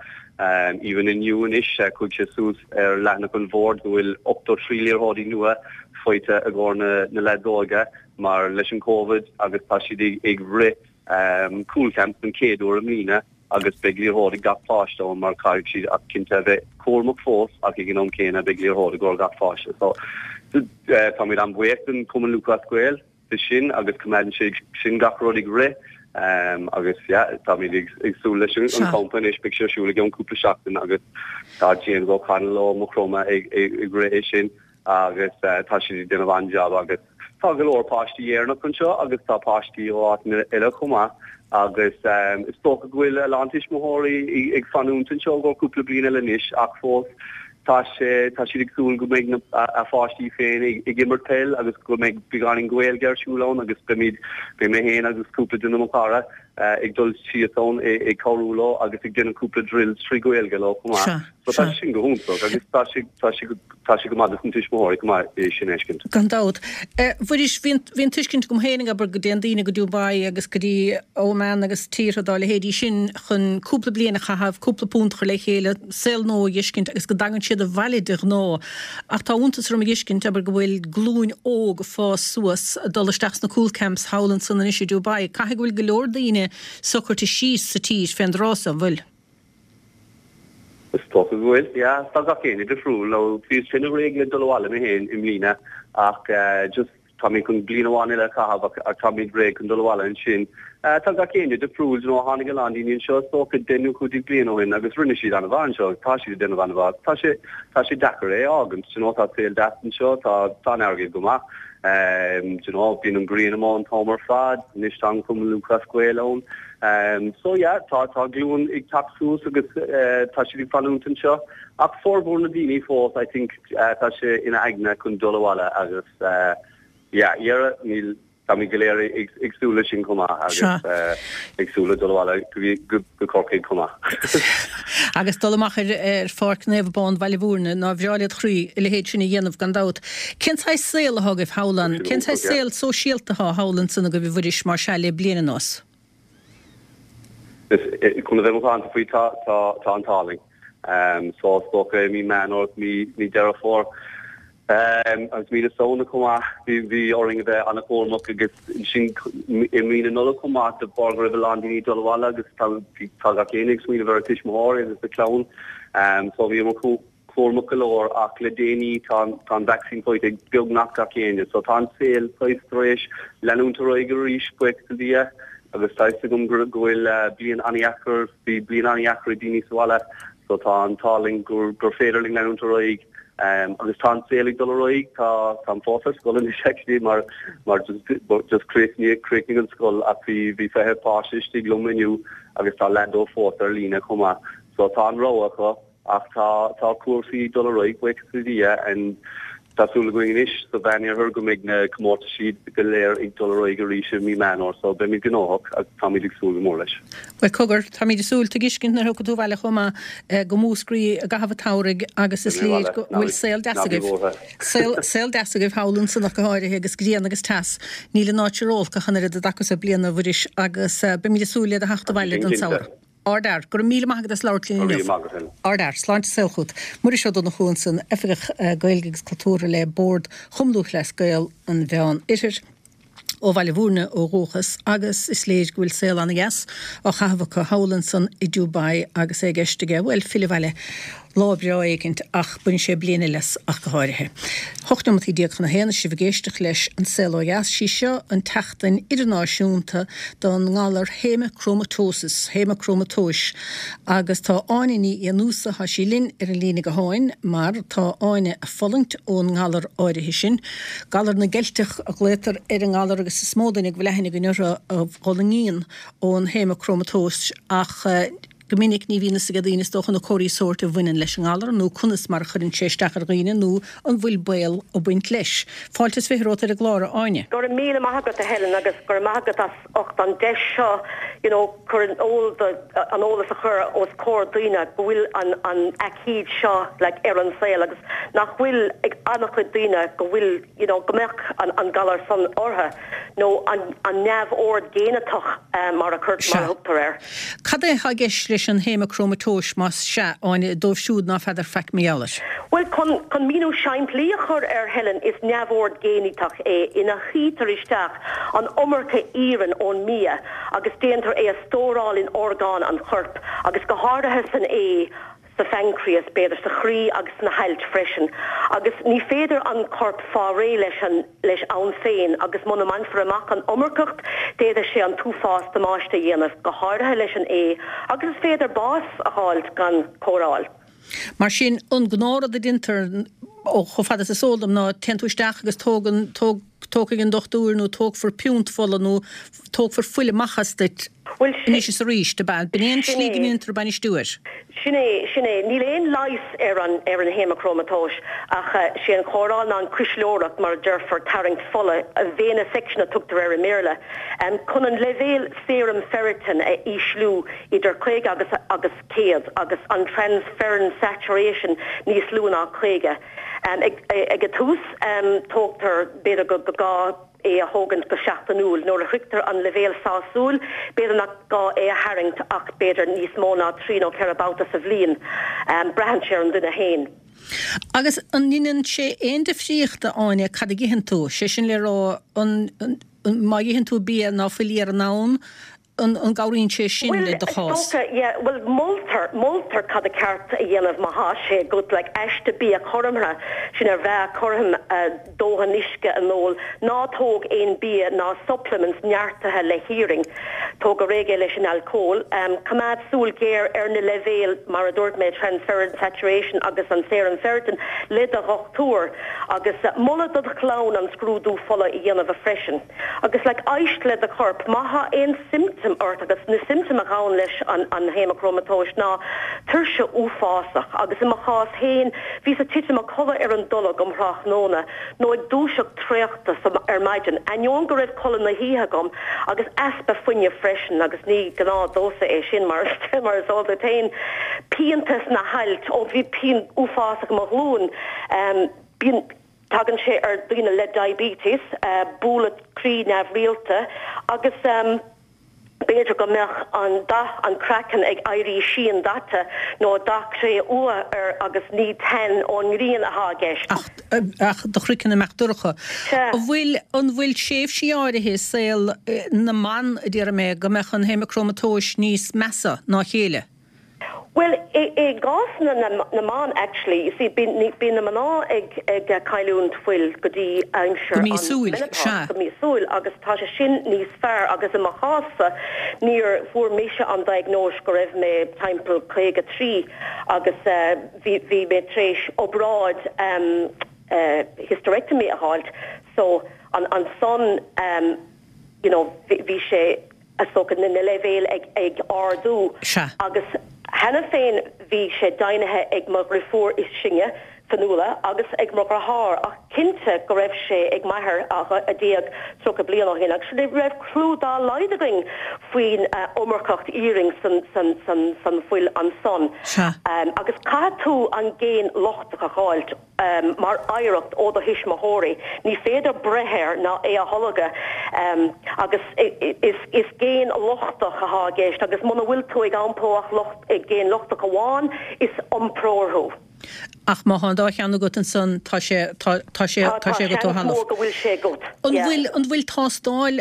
D: Even inniu anois chuaigh sé suas ar leathanach an bhoird go bhfuil 83 liathróidí nua faighte i gcomhair na leaids óga mar leis an Covid agus tá siad ag rith. Cúl Camp den chéad uair i mbliana agus beidh liathróid ag gach páiste ann mar caithfidh siad ach cinnte a bheith cúramach fós ach ag an am céanna beidh liathróid i gcomhair gach pháiste. So táimid an-bhuíoch den Chumann Lúthchleas Gael de sin agus coimeádann sé sin gach rud ag rith agus yeah táimid ag súil leis an campa anois beidh sé ar siúl i gceann cúpla seachtain agus tá James O'Connell ó Maigh Chromtha ag rith é sin. agus tá siad ag déanamh an-jab agus tá go leor páistí Éireannach anseo agus tá páistí ó áiteanna eile chomh maith agus is dócha go bhfuil a lán tuismitheoirí ag fanúint anseo i gcomhair cúpla bliain eile anois ach fós tá sé tá siad ag súil go mbeidh na a pháistí féin ag ag imirt peil agus go mbeidh beagáinín Gaeilge ar siúl ann agus beimid beidh mé féin agus cúpla duine mo chara ag dul síos ann ag cabhrú leo agus ag déanamh cúpla drills trí Ghaeilge leo chomh maith. So tá sé sin go hiontach agus tá sé tá sé go tá sé go maith dos na tuismitheoirí chomh maith é sin a fheiscint.
A: Gan dabht. A Mhuiris, bhí an bhí an tuiscint agam féin, abair, go dtéann daoine go Dubai agus go dtí Oman agus tíortha dá leithéidí sin chun cúpla bliain a chaitheamh, cúpla punt a chur le chéile, saol nua a dh'fheiscint agus go dtagann siad abhaile de ghnáth. Ach tá iontas orm a dh'fheiscint, abair, go bhfuil glúin óg ag fás suas, ag dul isteach sna cúl camps thall ansan anois i Dubai. Caithfidh go bhfuil go leor daoine socraithe síos sa tír fén dtráth so, an bhfuil?
D: Is dócha go bhfuil, yeah. Tá gach éinne difriúil. Nó bhíos féin réidh le dul abhaile mé féin i mbliana ach just tá mé chun bliain amháin eile a chaitheamh ach tá mé réidh chun dul abhaile ansin. Tá gach éinne difriúil, you know, tháinig a lán daoine anseo is dócha 10 nó 15 bliain ó shin agus rinne siad an-mhaith anseo agus tá siad ag déanamh an-mhaith. Tá sé, tá sé deacair é a fhágaint, you know, tá saol deas anseo, tá, tá an airgead go maith. You know, bíonn an ghrian amuigh an t-am ar fad, anois tá an Cumann Lúthchleas Gael ann. So yeah, tá tá glúin ag teacht suas agus tá siad ag fanúint anseo. Ach formhór na daoine fós, I think, tá sé ina aigne chun dul abhaile agus yeah, dhera, níl, táimid go léir ag súil leis sin chomh maith agus ag súil le dul abhaile go go Corcaigh chomh maith.
A: Agus dul amach ar ar Pháirc Naomh Abán Bhaile Mhúirne, nár bhreá led chroí a leithéid sin a dhéanamh gan dabht. Cén saghas saol athá agaibh thall ann? Cén saghas saol sóisialta athá thall ansan agaibh a Mhuiris mar sea le bliain anuas?
D: Chun a bheith macánta faoi tá tá tá an t-ádh linn. So is dócha i mí Meán Fhómhair mí mí Deireadh Fómhair agus mí na Samhna chomh maith bhí bhí orainn a bheith an-chúramach agus ansin i mí na Nollag chomh maith de bharr go raibh a lán daoine ag dul abhaile agus tá tá gach éinne ag smaoineamh ar a tuismitheoirí agus a clann. So bhíomar cúramach go leor ach le déanaí tá tá an vacsaín faighte ag beagnach gach éinne so tá an saol saghas tar éis leanúint ar aghaidh arís, buíochas le Dia agus tá fhios agam go go bhfuil bliain an-dheacair, bhí bliain an-dheacair ag daoine sa bhaile so tá an t-ádh linn gur gur féidir linn leanúint ar aghaidh agus tá an saol ag dul ar aghaidh, tá táim fós ar scoil anois actually mar mar just just chríochnaigh chríochnaigh an scoil ach bhí bhí 20 páiste istigh liom inniu agus tá leath dóibh fós ar líne chomh maith so tá an rogha acu. Ach tá, tá cúrsaí ag dul ar aghaidh, buíochas le Dia, and tá súil againn anois sa Mheánoirthear go mbeidh na comórtaisí go léir ag dul ar aghaidh arís i mí Meán Fhómhair, so beimid gnóthach agus táimid ag súil go mór leis.
A: Bhuel, cogar, táimid ag súil, tuiscint nuair a thiocfaidh tú abhaile chomh maith, go Múscraí i gcaitheamh an tsamhraidh agus is léir go bhfuil saol deas agaibh. Saol, saol deas agaibh thall ansan ach go háirithe agus grian agus teas. Níl an áit seo ró-olc ach an oiread i dtaca so bliana, a Mhuiris, agus beimid ag súil le do theacht abhaile don samhradh. Ardfhear. Go raibh míle maith agat as labhairt linn inniu. Ardfhear. Sláinte is saol chugat. Muiris Ó Donnchú ansan, Oifigeach Gaeilge agus Cultúrtha le Bord Chumann Lúthchleas Gael an Mheán Oirthir, ó Bhaile Mhúirne ó dhúchas, agus is léir go bhfuil saol ana-dheas á chaitheamh acu thall ansan i Dubai agus é i gceist aige, bhuel, filleadh abhaile lá breá éigint ach bainfidh sé bliain eile as ach go háirithe. 18 neomataí chun a haon is sibh ag éisteacht leis An Saol Ó Dheas. Sí seo an tseachtain idirnáisiúnta don ngalar haemachromatosis, haemacrómatóis, agus tá Áine Ní Fhiannúsa, tá sí linn ar an líne gutháin mar tá Áine ag fulaingt ón ngalar áirithe sin. Galar na gCeilteach a ghlaotar ar an ngalar agus is mó duine go bhfuil aithne againn orthu a fhulaingíonn ón haemacrómatóis ach Go minic ní bhíonn fhios ag daoine is dócha na comharthaí sóirt a bhaineann leis an ngalar nó conas mar a chuireann sé isteach ar dhaoine nó an bhfuil baol ag baint leis. Fáilte is 20 romhat ar an gclár, a Áine.
E: Go raibh míle maith agat a Helen agus go raibh maith agat as ucht an deis seo you know cur in iúl do an eolas a chur os comhair daoine go bhfuil an an aicíd seo like ar an saol agus nach bhfuil ag an-chuid daoine go bhfuil you know go mbeadh an an galar san orthu nó an an neamhord géiniteach mar a chur mar a thugtar air.
A: Cad é atá i gceist leis? leis an haemacrómatóis, más sea, Áine, dóibh siúd ná feadar faic mar gheall air?
E: Bhuel, chun, chun míniú simplí a chur air, Helen, is neamhord géiniteach é ina shuítear isteach an iomarca iarainn ón mbia agus déantar é a stóráil in orgáin an choirp agus go háirithe san ae, sa phaincréas, b'fhéidir sa chroí agus sna hailt freisin. Agus ní féidir an corp fáil réidh leis an leis ann féin agus muna mbainfear amach an iomarcacht d'fhéadfadh sé an t-uafás damáiste a dhéanamh, go háirithe leis an ae agus is féidir bás a fháilt gan cóireáil.
A: Mar sin, an gnáthrud a deintear, ó chomh fada is is eol dom, ná téann tú isteach agus tógann, tóg, tógfaidh an dochtúir nó tógfar piúnt fola nó tógfar fuil amach as duit
E: Bhuel,
A: anois is arís, ab ea? B'in é an
E: sin
A: tslí go
E: é.
A: ndéantar bainistiú air.
E: Sin é, sin é. Níl aon leigheas ar an, ar an haemacrómatóis ach sé an chóireáil ná an cuisleoireacht, mar a déarfar, tarraingt fola, venesection a tugtar air i mBéarla, chun an leibhéal serum ferritin a ísliú idir 50 agus, agus 100 agus an transferrin saturation níos lú ná 50. Ag, ag an tús, tógtar, b'fhéidir go, go gá é a thógaint go seachtainiúil. Nuair a shroichtear an leibhéal sásúil, b'fhéidir nach gá é a tharraingt ach b'fhéidir níos mó ná trí nó 4 babhta sa bhliain. Braitheann sé ar an duine féin.
A: Agus an ndeineann sé aon difríocht, a Áine, cad a itheann tú? Sé sin le rá, an, má itheann tú bia ná fuil iarann ann, an gcabhraíonn sé sin
E: Bhuel,
A: le do
E: is
A: chás?
E: dócha, yeah, bhuel, moltar, moltar cad a ceart a dhéanamh má thá sé agat, like, aiste bia chothromtha, sin ar mheá cothrom, dóthain uisce a n-ól, ná tóg aon bia ná supplements neartaithe le hiarann, tóg go réidh é leis an alcól, coimeád súil ghéar ar na leibhéil, mar a dúirt mé, transferrin saturation agus an serum ferritin le do dhochtúir, agus moladh do do chlann an scrúdú fola a dhéanamh freisin. Agus like éist le do chorp, má thá aon symptom ort agus na symptoim a ghabhann leis an an haemacrómatóis ná tuirse uafásach agus i mo chás féin bhíos ag titim a codladh ar an dtolg um thráthnóna nó ag dúiseacht traochta ar maidin ainneoin go raibh codladh na hoíche agam agus easpa fuinnimh freisin agus ní gnáth domhsa é sin mar mar is eol duit féin pianta sna hailt ó bhí pian uafásach i mo ghlúin bíonn Tagann sé ar daoine le diabetes, bualadh croí neamhrialta agus b'fhéidir go mbeadh an dath an craiceann ag éirí síon-daite nó dath cré-umha air agus ní tan ón ngrian atá i gceist.
A: Ach ach do chraiceann ag imeacht dorcha.
E: Sea.
A: An bhfuil an bhfuil tréimhsí áirithe i saol na mban, a déarfaidh mé, go mbeadh an haemacrómatóis níos measa ná a chéile?
E: Bhuel, i gcás na mban actually, you see, bíonn na mná ag cailliúint fuil go dtí aimsir
A: Go
E: an
A: míosúil,
E: menopause,
A: sea.
E: go míosúil, agus tá sé sin níos fearr agus i mo chás-sa, níor, fuair mise an diagnóis go raibh mé timpeall 53 agus bhí, bhí mé tar éis obráid hysterectomy a fháilt, so ansan, you know, bhí sé, is dócha, na leibhéil ag ardú.
A: Sea.
E: Agus cheana féin bhí sé deimhnithe ag mo dhriofúr is sine, Fionnuala, agus ag mo dheartháir, ach cinnte go raibh sé ag m'athair a d'éag 30 bliain ó shin, agus ní raibh clue dá laghad againn faoin iomarcacht iarainn san fuil ansan.
A: Sea.
E: Agus caithfidh tú an géin lochtach a dh'fháilt. mar oidhreacht ó do thuismitheoirí. Ní féidir breith air ná é a tholgadh agus is géin lochtach atá i gceist agus muna bhfuil tú ag iompó ach géin lochtach amháin, is iompróir thú.
A: Ach má thá an dá cheann agat ansan tá sé, tá, tá sé, tá sé agat ó
E: Tá seans
A: thalamh.
E: mór go bhfuil sé agat.
A: An
E: Yeah.
A: bhfuil, an bhfuil tástáil,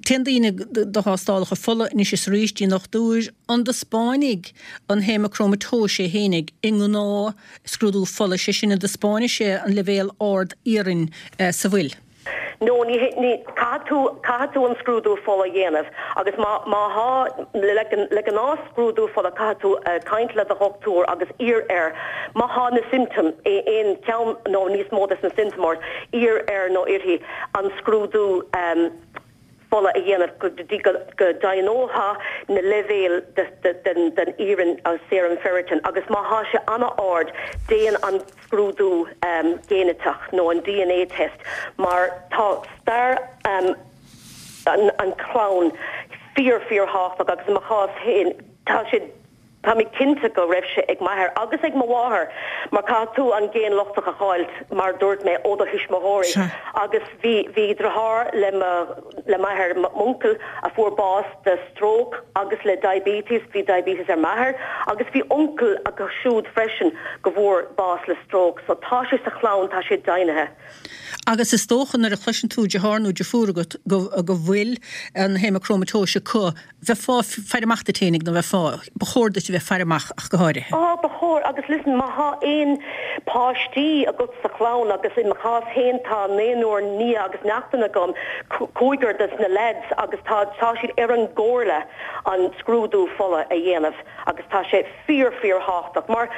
A: téann daoine do thástálacha fola anois is arís dtí an dochtúir, an dtaispeánfaidh an haemacrómatóis é fhéinig i ngnáth scrúdú fola, sé sin an dtaispeánfaidh sé an leibhéal ard iarainn sa bhfuil.
E: No, ní, ní, caithfidh tú, caithfidh tú an scrúdú fola a dhéanamh agus má, má thá, le, le gnáth scrúdú fola caithfidh tú caint le do dhochtúir agus iarr air má thá na symptoms, aon cheann nó níos mó des na symptoms ort, iarr air nó uirthi an scrúdú fola a dhéanamh go dtí go deimhneofá na leibhéil den iarann, serum ferritin, agus má thá sé an-ard déan an scrúdú géiniteach nó an dna test mar tá stair an chlann fíor fíor thábhachtach agus i mo chás féin tá sé. Tá mé cinnte go raibh sé ag m'athair agus ag mo mháthair mar caithfidh tú an géin lochtach a fháilt mar dúirt mé ó do thuismitheoirí agus bhí bhí driotháir le mo le m'athair m'uncail a fuair bás de stróc agus le diabetes bhí diabetes ar m'athair agus bhí uncail acu siúd freisin go bhfuair bás le stróc so tá sé sa chlann tá sé deimhnithe.
A: Agus is dócha nuair a chloiseann tú deartháir nó deirfiúr agat go go bhfuil an haemacrómatóis acu Bheifeá faire amach duit fhéinig nó bheifeá, ba chóir duit a bheith faire amach ach go háirithe.
E: Á, ba chóir, agus listen, má thá aon páistí agat sa chlann, agus i mo chás fhéin tá naonúr nia agus neachtain agam, cúigear des na lads, agus tá, tá siad ar an gcomhairle an scrúdú fola a dhéanamh agus tá sé fíor, fíor thábhachtach mar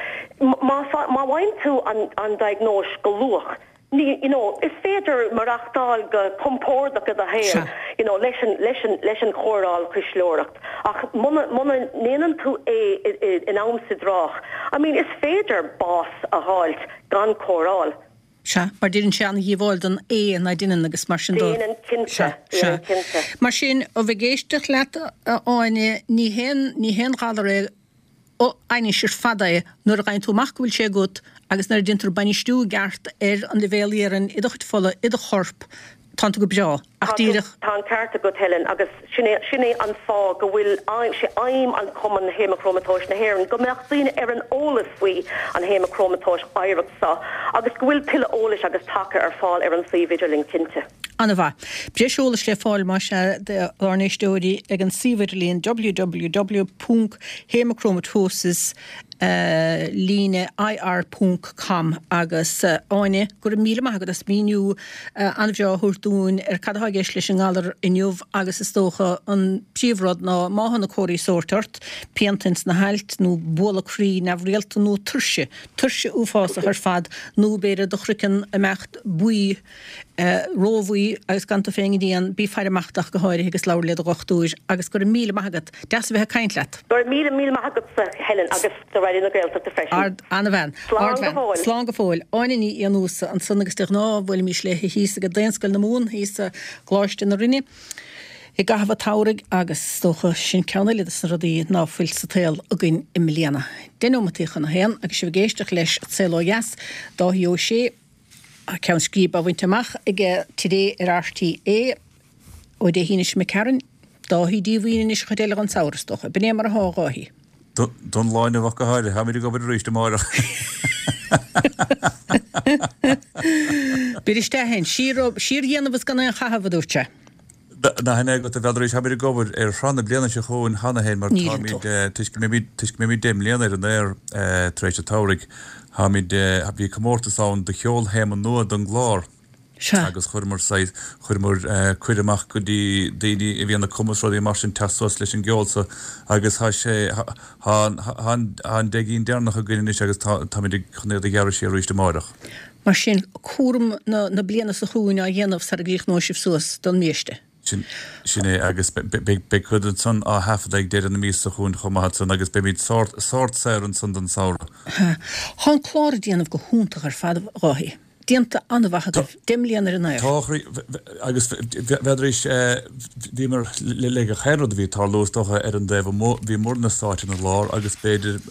E: má, má fhaigheann tú an, an diagnóis go luath, Ní, you know, is féidir maireachtáil go compordach i do shaol, you know, leis an, leis an, leis an chóireáil chuisleoireacht ach muna, muna ndéanann tú é i, i, in am is i dtráth, I mean, is féidir bás a dh'fháilt gan cóireáil.
A: Sea, mar déanann sé an-dhíobháil don ae ná deineann agus mar sin
E: do. Déanann, cinnte,
A: Sea, sea.
E: déanann, cinnte.
A: Mar sin, ó bheith ag éisteacht leat, a Áine, ní haon, ní haon ghalar é ainnis ar fad é nuair a fhaigheann tú amach go bhfuil sé agat agus nuair a déantar bainistiú i gceart ar an leibhéal iarainn i do chuid fola, i do chorp, tánn tú go breá. Ach
E: Tá tú,
A: díreach.
E: tá an ceart agat Helen agus sin é, sin é an fáth go bhfuil aidhm, sé aidhm an Cumann Haemacrómatóis na hÉireann go mbeadh daoine ar an eolas faoi an haemacrómatóis oidhreacht seo agus go bhfuil tuilleadh eolais agus taca ar fáil ar an suíomh idirlín cinnte.
A: An-mhaith. Breis eolais le fáil, más ea, dár n-éisteoirí ag an suíomh idirlíon www ponc haemochromatosis líne ir ponc com agus Áine, go raibh míle maith agat as míniú an-bhreá a thabhairt dúinn ar cad atá i gceist leis an ngalar inniu agus is dócha an príomhrud ná má thá na comharthaí sóirt ort, pianta ins na hailt nó bualadh croí neamhrialta nó tuirse, tuirse uafásach ar fad nó b'fhéidir do chraiceann ag imeacht buí róbhuí agus gan tú féin ag déanamh, bí faire amach ach go háirithe agus labhair le do dhochtúir agus go raibh míle maith agat. Deas a bheith ag caint leat.
E: Go raibh míle míle maith agatsa Helen agus do Raidió na Gaeltachta freisin.
A: Ard, an-bhean.
E: Slán go
A: Ardbhean.
E: fóill.
A: Slán go fóill. Áine Ní Fhiannúsa ansan agus de ghnáth bhuailimis léi thíos ag Daonscoil na Mumhan thíos i gColáiste na Rinne i gcaitheamh an tsamhraidh agus is dócha sin ceann eile des na rudaí ná fuil sa tsaol againn i mbliana. Deich nóimeataí chun a haon agus sibh ag éisteacht leis An Saol Ó Dheas, Dáithí Ó Sé, Tá ceann scríbe á bhaint amach aige today ar RTÉ ó Dé hAoine seo imigh tharainn. Dáithí díomhaoin anois an chuid eile den samhradh, is dócha. B'in é mar atá, a Dháithí.
F: Don lá inniu ach go háirithe. Táimid ag obair arís amárach.
A: Beir isteach é. Síordhéanamh is gan aon chaitheamh, a dúirt sé.
F: Nach in é agat a bheadh Táimid ag obair ar shraith na bliana seo chugainn cheana féin mar
A: Níl
F: táimid,
A: tú.
F: toisc go mbeimid, toisc go mbeimid 10 mbliana ar an aer tar éis an tsamhraidh, táimid, bhí comórtas ann do cheolthéama nua don gclár
A: Sea.
F: agus chuireamar saghas, chuireamar cuireadh amach go dtí daoine a bhíonn ag cumadh rudaí mar sin teacht suas leis an gceol so agus tá sé, tá an, tá an, tá an 10 gcinn deireanach againn anois agus tá, táimid ag, chun iad a ghearradh siar arís amárach.
A: Mar sin, cúram na bliana seo chugainn á dhéanamh sara gcríochnóidh sibh suas don mbiaiste.
F: Sin, sin é, agus beidh, beidh cuid ansan á thaifeadadh ag deireadh na míosa seo chugainn chomh maith ansan agus beimid sórt, sórt saor ansan don samhradh.
A: Tá an clár ag déanamh go hiontach ar fad, a Dháithí. Déanta an-mhaith agaibh. 10 mbliana ar an aer.
F: Tá, a chroí, agus bheadh bhíomar le gach aon rud a bhí ag tarlú is dócha ar an dtaobh amuigh, bhíomarna sáite ina lár agus b'fhéidir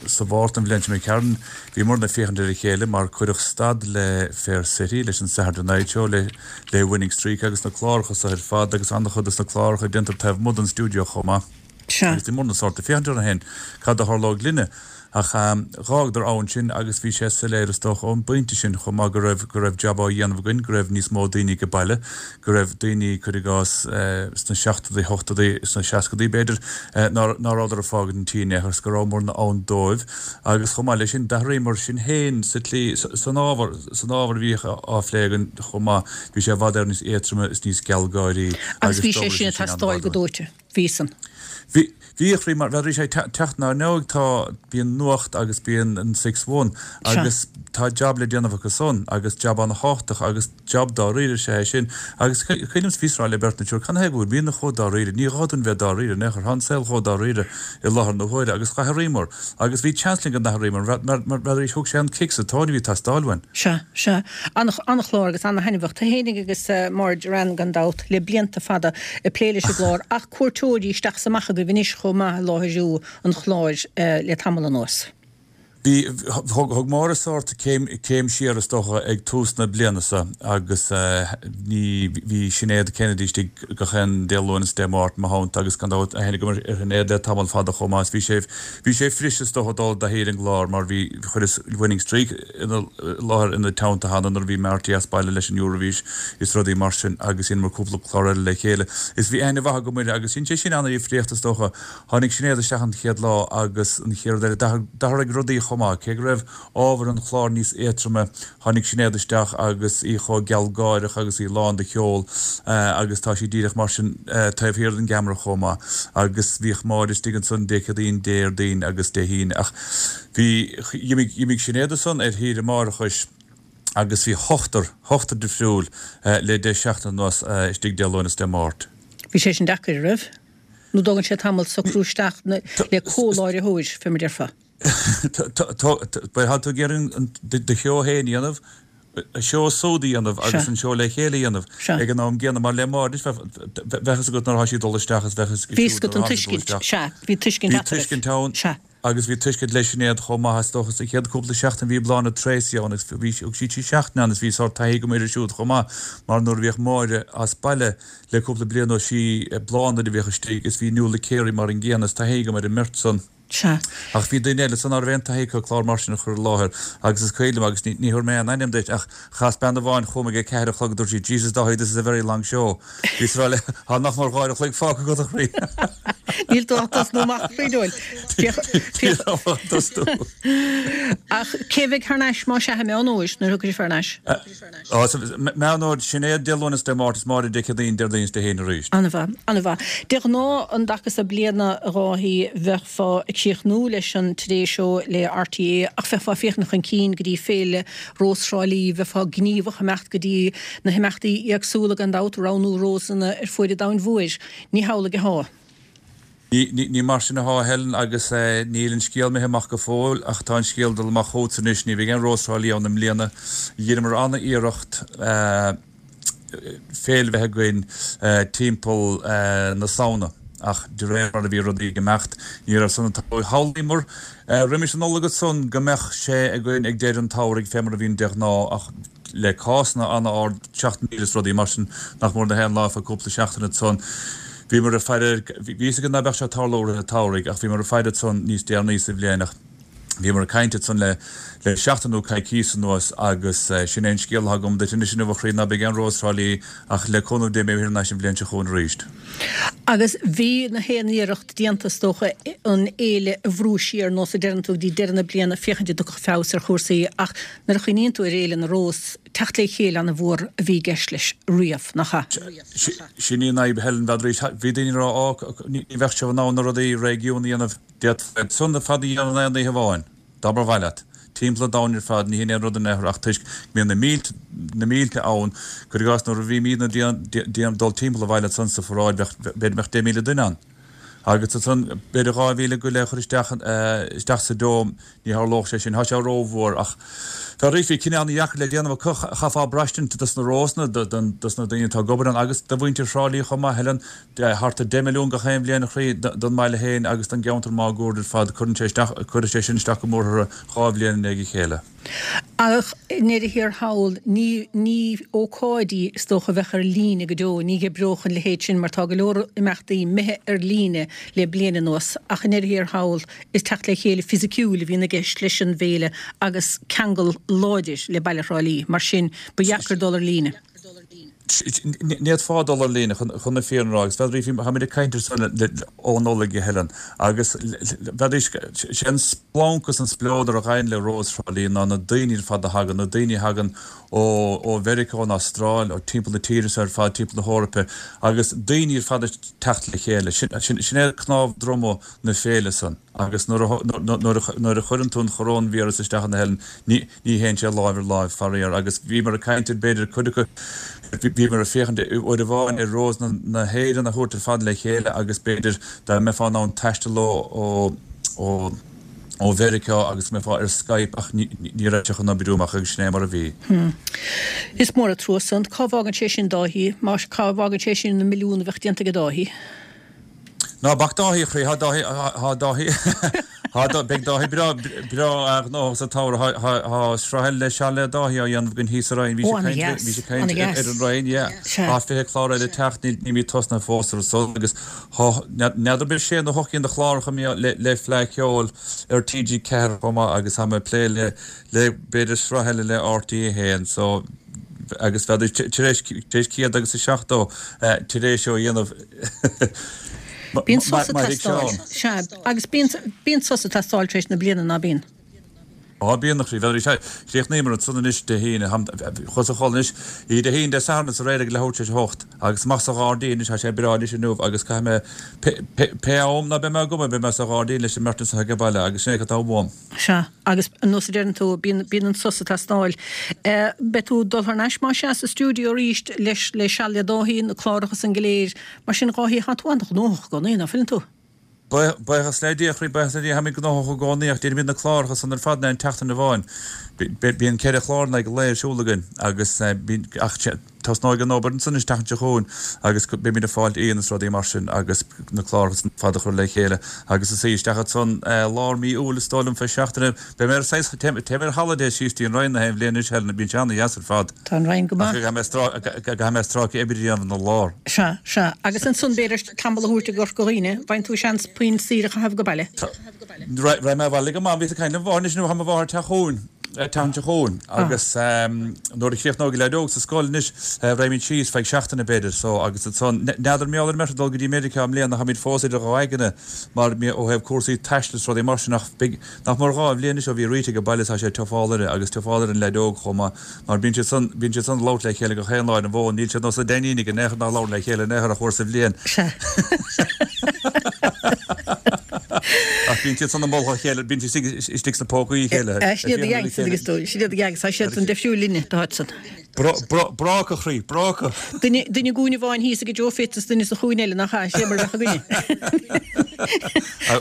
F: sa Mhárta an bhliain seo imigh tharainn, Bhíomarna ag féachaint ar a chéile mar cuireadh stad le Fair City, leis an Saturday Night Show, le le Winning Streak agus na cláracha so ar fad agus an-chuid des na cláracha déantar taobh amuigh den stiúideo chomh maith.
A: Sea.
F: Agus bhíomarna sórt ag féachaint orainn féin cad a tharlódh linne. Ach dh'fhágadar ann sinn agus bhí sé soiléir is dócha ón bpointe sin chomh maith go raibh go raibh jab á dhéanamh againn, go raibh níos mó daoine age baile, go raibh daoine, cuir i gcás, sna seachtóidí, ochtóidí, sna seascadaí b'fhéidir, ná ná rabhadar ag fágaint an tí in aon chor is go rabhamarna ann dóibh. Agus chomh maith leis sin, d'athraíomar sinn féin sa tslí, san ábhar, san ábhar a bhíodh á phlé againn chomh maith. Bhí sé i bhfad Éireann níos éadtroime is níos gealgháirí
A: Agus
F: agus
A: bhí sé
F: d'oibrigh
A: sin
F: sé
A: ag
F: sin
A: teastáil
F: an-mhaith
A: go
F: dúinn.
A: dóite. Bhí san.
F: Bhí, bhí a chroí, mar bheadh sé ag teacht ná ndóigh tá, bíonn nuacht agus bíonn an Six One
A: Sea.
F: agus tá jab le déanamh acu san agus jab ana-thábhachtach agus Jab dáiríre is ea é sin. Agus cuimhin liom bhíos ag rá le beirt nó triúr, cad 'na thaobh go bhfuilimidne chomh dáiríre? Ní gá dúinn bheith dáiríre in aon chor. Tá an saol chomh dáiríre i láthair na huaire agus d'athraíomar. Agus bhí seans linn go n-athraíomar mar, mar, mar arís thug sé an cic sa tóin a bhí ag teastáil uainn.
A: Sea, sea. An-chlár agus an-thaitneamhach. Tú fhéinig agus Máire Doran gan dabht le blianta fada ag plé leis an gclár ach cuairteoirí isteach is amach agaibh anois. chomh maith i láithriú an chláir le tamall anuas.
F: Bhí, thug Máire sórt céim, céim siar is dócha ag tús na bliana seo agus ní, bhí Sinéad Kennedy istigh gach aon Dé Luain is Dé Máirt mo theannta agus gan dabht aithne agam ar Shinéad le tamall fada chomh maith is bhí sé, bhí sé fuirist is dócha dul i dtaithí ar an gclár mar bhí, chuireas Winning Streak ina láthair ina teannta cheana nuair a bhí Marty as baile leis an Euravision is rudaí mar sin agus dheineamar cúpla clár eile le chéile is bhí aithne mhaith agam uirthi agus dhein sé sin ana-dhifríocht is dócha. Tháinig Sinéad isteach an chéad lá agus an chéad rud eile, d'athraigh rudaí chomh maith. Cé go raibh ábhar an chláir níos éadtroime, tháinig Sinéad isteach agus í chomh gealgháireach agus í lán de cheol agus tá sí díreach mar sin taobh thiar den gceamara chomh maith. Agus bhíodh Máire istigh ansan Dé Céadaoin, Déardaoin agus Dé hAoine ach bhí, dh'imigh Sinéad ansan ar shaoire máithreachais agus bhí ochtar, ochtar difriúil le deich seachtaine anuas istigh Dé Luain is Dé Máirt.
A: Bhí sé sin deacair, an raibh? Nó dtógann sé tamall socrú isteach le comhláithreoir, fé mar déarfá?
F: Tá tú ag iarraidh do sheó féin a dhéanamh, seó súd a dhéanamh agus an seó le chéile a dhéanamh ag an am gcéanna. Mar le Máire, bheadh fhios agat nuair atá sí ag dul isteach is bheadh fhios agat siúd nuair atá sí ag dul isteach.
A: Sea, bhí tuiscint
F: eatarthu. Bhí tuiscint ann. Sea. Agus bhí tuiscint le Sinéad chomh maith, is dócha. Sa chéad cúpla seachtain bhí Bláthnaid Treacy ann agus bhí thug sí trí seachtaine ann is bhí sórt taithí agam uirthi siúd chomh maith mar nuair a bhíodh Máire as baile le cúpla bliain anuas sí Bláthnaid a bhíodh istigh is bhí Nuala Carey mar an gcéanna is taithí agam ar an mbeirt san.
A: Sea.
F: Ach bhí daoine eile san ná raibh aon taithí acu clár mar sin a chur i láthair agus is cuimhin liom agus ní ní thabharfaidh mé aon ainm duit ach chas bean amháin chugam ag a ceathair a chlog dúirt sí Jesus Dáithí this is a very long show. Bhíos ag rá léi Tá nach mór uair a chloig fágtha agat a chroí.
A: Níl tú ach tosnú amach a chroí dúil.
F: Níl tú ach tosnú.
A: Ach cé bheidh thar n-ais más ea i Meán Fhómhair nuair a thiocfaidh sibh thar n-ais?
F: Meán Fhómhair, Sinéad Dé Luain is Dé Máirt is Máire Dé Céadaoin, Déardaoin is Dé hAoine arís.
A: An-mhaith, an-mhaith. De ghnáth an dtaca so bliana a Dháithí bheifeá ag críochnú leis an Today Show le RTÉ ach bheifeá ag féachaint chun cinn go dtí Féile Rós Thrá Lí, bheifeá gníomhach ag imeacht go dtí na himeachtaí éagsúla gan dabht, roghnú rósanna ar fuaid an domhain mhóir. Ní hamhlaidh
F: athá. Ní mar sin athá, a Helen, agus níl an scéal imithe amach go fóill, ach tá an scéal ag dul amach chugatsa anois, ní bheidh aon Rós Thrá Lí ann i mbliana. Dheineamar an-iarracht féile bheith againn timpeall na Samhna, ach de réir mar a bhí rudaí ag imeacht, ní raibh san ag tarlú. Shamhlaíomar roimis an Nollaig ansan go mbeadh sé againn ag deireadh an tsamhraidh, fé mar a bhíonn de ghnáth, ach le cásanna an-ard, 7,000 is rudaí mar sin, nach mór na haon lá feadh cúpla seachtain ansan. Bhíomar ag faire, bhí fhios againn ná beadh sé ag tarlú i rith an tsamhraidh ach bhíomar ag faire ansan níos deireanaí sa bhliain ach bhíomar ag caint ansan le le seachtain nó coicíos anuas agus sin é an scéal atá agam duit anois inniu a chroí, ná beidh aon Rós Thrá Lí ach le cúnamh Dé beidh mé thar n-ais an bhliain seo chugainn arís.
A: Agus bhí na haon iarracht déanta is dócha an fhéile a bhrú siar nós a deireann tú go dtí deireadh na bliana féachaint an dtiocfadh feabhas ar chúrsaí ach Nuair a chuimhníonn tú ar Fhéile na Rós, teacht le chéile an-mhór a bhí i gceist leis riamh, nach ea?
F: Sin í an fhadhb, Helen, b'fhéidir. Bhí daoine ag rá, Á, ní bheadh sibh in ann na rudaí réigiún a dhéanamh. D'fhéadfá iad san ar fad a dhéanamh in aon oíche amháin, dá mba mhaith leat. Timpeall an domhain ar fad, ní hin aon rud in aon chor ach toisc go mbíonn na mílte, na mílte ann, cuir i gcás nuair a bhímídne ag dul timpeall an bhaile ansan sa pharáid, bheadh, b'fhéidir go mbeadh 10,000 duine ann. Agus ansan, b'fhéidir 2,000 go leith a chur isteach, isteach sa Dome, ní tharlódh sé sin, tá sé rómhór. Ach arís, bhí cinneadh ana-dheacair le déanamh acu, chaithfeá braistint dos na Rósanna, dos na daoine atá ag obair ann agus do mhuintir Thrá Lí chomh maith, Helen, thart ar 10 milliún gach aon bhliain a chroí, don mbaile féin agus don gceantar máguaird ar fad, cuireann sé isteach, cuirfidh sé sin isteach go mór orthu dhá bhliain i ndiaidh a chéile.
A: Ach i ndeireadh thiar thall, ní, ní ócáid í is dócha a bheadh ar líne go deo, ní oibreodh an leithéid sin mar tá go leor imeachtaí imithe ar líne le bliain anuas, ach i ndeireadh thiar thall, is teacht le chéile fisiciúil a bhíonn i gceist leis an bhféile agus ceangal láidir le baile Thrá Lí, mar sin ba dheacair dul ar líne.
F: Ní fhéadfá dul ar líne, chun na fírinne a rá, agus b'fhéidir, táimid ag caint ar san ó Nollaig, a Helen, agus b'fhéidir, sé an splanc is an spleodar a ghabhann le Rós Thrá Lí ná na daoine ar fad a thagann, na daoine a thagann ó Mheiriceá, ón Astráil, ó timpeall na tíre seo ar fad, timpeall na hEorpa, agus daoine ar fad ag teacht le chéile. Sin é cnámh droma na féile san. Agus nuair a chuireann tú an choróinvíreas isteach ann a Helen, ní théann sé láimh ar láimh, faraor. Agus bhíomar ag caint ar b'fhéidir cuid acu, bhíomar ag féachaint uair amháin ar Rósanna na hÉireann a thabhairt ar fad le chéile agus b'fhéidir dá mbeifeá in ann taisteal ó ó Mheiriceá agus go mbeifeá ar Skype ach ní raibh sé chun oibriú amach agus sin é mar a bhí.
A: Is mór an trua san. Cá bhfágann sé sin Dáithí? Cá bhfágann sé sin na milliúin a bheadh déanta ag Dáithí?
F: Ná bac Dáithí, a chroí, tá Dáithí, tá Dáithí, tá, beidh Dáithí breá, breá gnóthach sa tsamhradh, tá, tá sraith eile le Seal le Dáithí á dhéanamh againn thíos sa Rinn, bhí sé ag caint, bhí sé ag caint ar an Rinn, yeah. Tá 20 clár eile ag teacht, níl, nílimid tosnaithe fós ar san agus tá, n'fheadar b'fhéidir sé nó hocht gcinn de chláracha le, le Fleadh Cheoil ar TG4 chomh maith agus tá mé ag plé le, le b'fhéidir sraith eile le RTÉ 1 so agus bheadh tar éis tar éis 170 tar éis ó dhéanamh
A: Bíonn sos ag teastáil. Sea, agus bíonn bíonn sos ag teastáil tar éis na bliana, ná bíonn?
F: Á bíonn a chroí. Bhuel sea, chríochnaíomar ansan anois Dé hAoine, chuas a chodladh anois, Dé hAoine, Dé Sathairn is aréir ag leathuair tar éis a hocht agus amach sa ghairdín anois, tá sé breá anois inniu agus caithfidh mé pé pé am ná beidh mé ag obair beidh mé sa ghairdín leis an mbeirt anso age baile agus sin é cad tá uaim.
A: Sea, agus ar nós a deireann tú, bíonn, bíonn an sos ag teastáil. Beidh tú ag dul thar n-ais más ea sa stiúideo arís leis, le Seal le Dáithí, na cláracha san go léir. Mar sin, a Dháithí, tá tú an-ghnóthach i gcónaí, ná fuileann tú?
F: Buíochas le Dia, a chroí, buíochas le Dia, táimid gnóthach i gcónaí ach déanaimid na cláracha san ar fad in aon tseachtain amháin. Bíonn ceithre chlár in aghaidh an lae ar siúl againn agus bíonn, ach Tosnóidh an obair ansan an tseachtain seo chugainn agus beimid ag fáilt aíonna is rudaí mar sin agus na cláracha san ar fad a chur le chéile agus is í isteach ansan lár mí Iúil is dóigh liom fé seachtaine. Beidh mé ar saghas, téim ar holiday síos dtí an Rinn na haon bhliain anois Helen, bíonn sé ana-dheas ar fad.
A: Tá an Rinn go
F: maith. Ach caithfidh mé stráice oibre a dhéanamh ina lár.
A: Sea, sea. Agus ansan b'fhéidir tamall a thabhairt i gCorca Dhuibhne, bhfaigheann tú seans puinn saoire a chaitheamh go baile.
F: Raghaidh mé abhaile go maith, bhíos ag caint le mo mháthair anois nó tá mo mháthair ag teacht chugainn. an tseachtain seo chugainn agus nuair a chríochnóidh an leaid óg sa scoil anois raghaimid síos feadh seachtaine b'fhéidir so agus ansan n'fheadar mar gheall ar an mbeirt ag dul go dtí Meiriceá i mbliana táimid fós idir dhá aigne mar ó thaobh cúrsaí taistil is rudaí mar sin ach beidh nach mór 2 bhliain anois ó bhí Rita age baile tá sé tiofáil uirthi agus tiofáil ar an leaid óg chomh maith mar bíonn siad san bíonn siad san ag labhairt le chéile gach aon lá ar an bhfón níl siad nós na Dainíní in aon chor nach labhrann le chéile in aon chor ach uair sa bhliain.
A: Sea.
F: Ach bíonn siad san ag moladh a chéile, bíonn siad istigh sna pócaí a chéile.
A: Sin iad a gheangs, agus tú, sin iad a gheangs, tá siad san difriúil linne, tá siad san.
F: Bráca, a chroí, bráca.
A: Duine i gcúinne amháin thíos ag Joe Fitz is duine sa chúinne eile, nach ea? Sé mar a bheadh againne.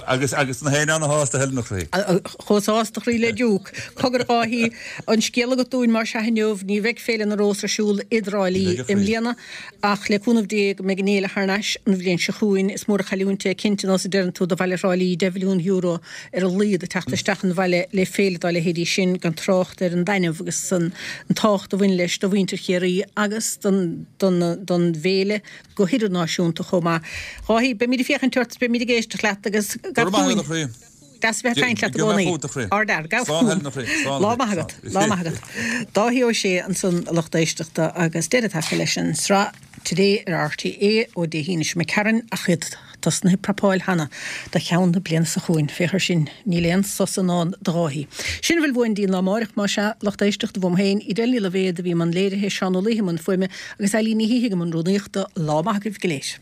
F: Agus agus na héinne ana-shásta, Helen, a chroí.
A: Chomh sásta, a chroí, le Duke. Cogar, a Dháithí, an scéal agat dúinn más ea inniu, ní bheidh Féile na Rós ar siúl i dTrá Lí i mbliana. Ach le cúnamh Dé go mbeidh an fhéile thar n-ais an bhliain seo chugainn. Is mór an chailliúint é cinnte, nós a deireann tú, do bhaile Thrá Lí, €10 mhilliún ar a laghad ag teacht isteach an bhaile le féile dá leithéidí sin, gan trácht ar an dtaitneamh agus an tábhacht a bhain leis do mhuintir Chiarraí agus don don bhféile go hidirnáisiúnta chomh maith. Dháithí, beimid ag féachaint ort is beimid ag éisteacht leat agus
F: gabh chugainn.
A: Deas a bheith ag caint leat i gcónaí. Ardfhear. Gabh chugam. Lá maith agat. Lá maith agat. Dáithí Ó Sé ansan a lucht éisteachta agus deireadh tagtha leis an sraith Today ar RTÉ ó Dé hAoine seo imigh tharainn ach iad tosnaithe ag prapáil cheana do cheann na bliana seo chugainn. Féach ar sin, níl aon sos i ndán do Dháithí. Sin a bhfuil uainn dtí an lá amáireach, más ea, lucht éisteachta, uaim féin, Edel Ní Loibhéad a bhí i mbun léirithe, Seán Ó Laoithe i mbun fuaime agus Eilín Ní Shíthigh i mbun rúnaíochta. Lá maith agaibh go léir.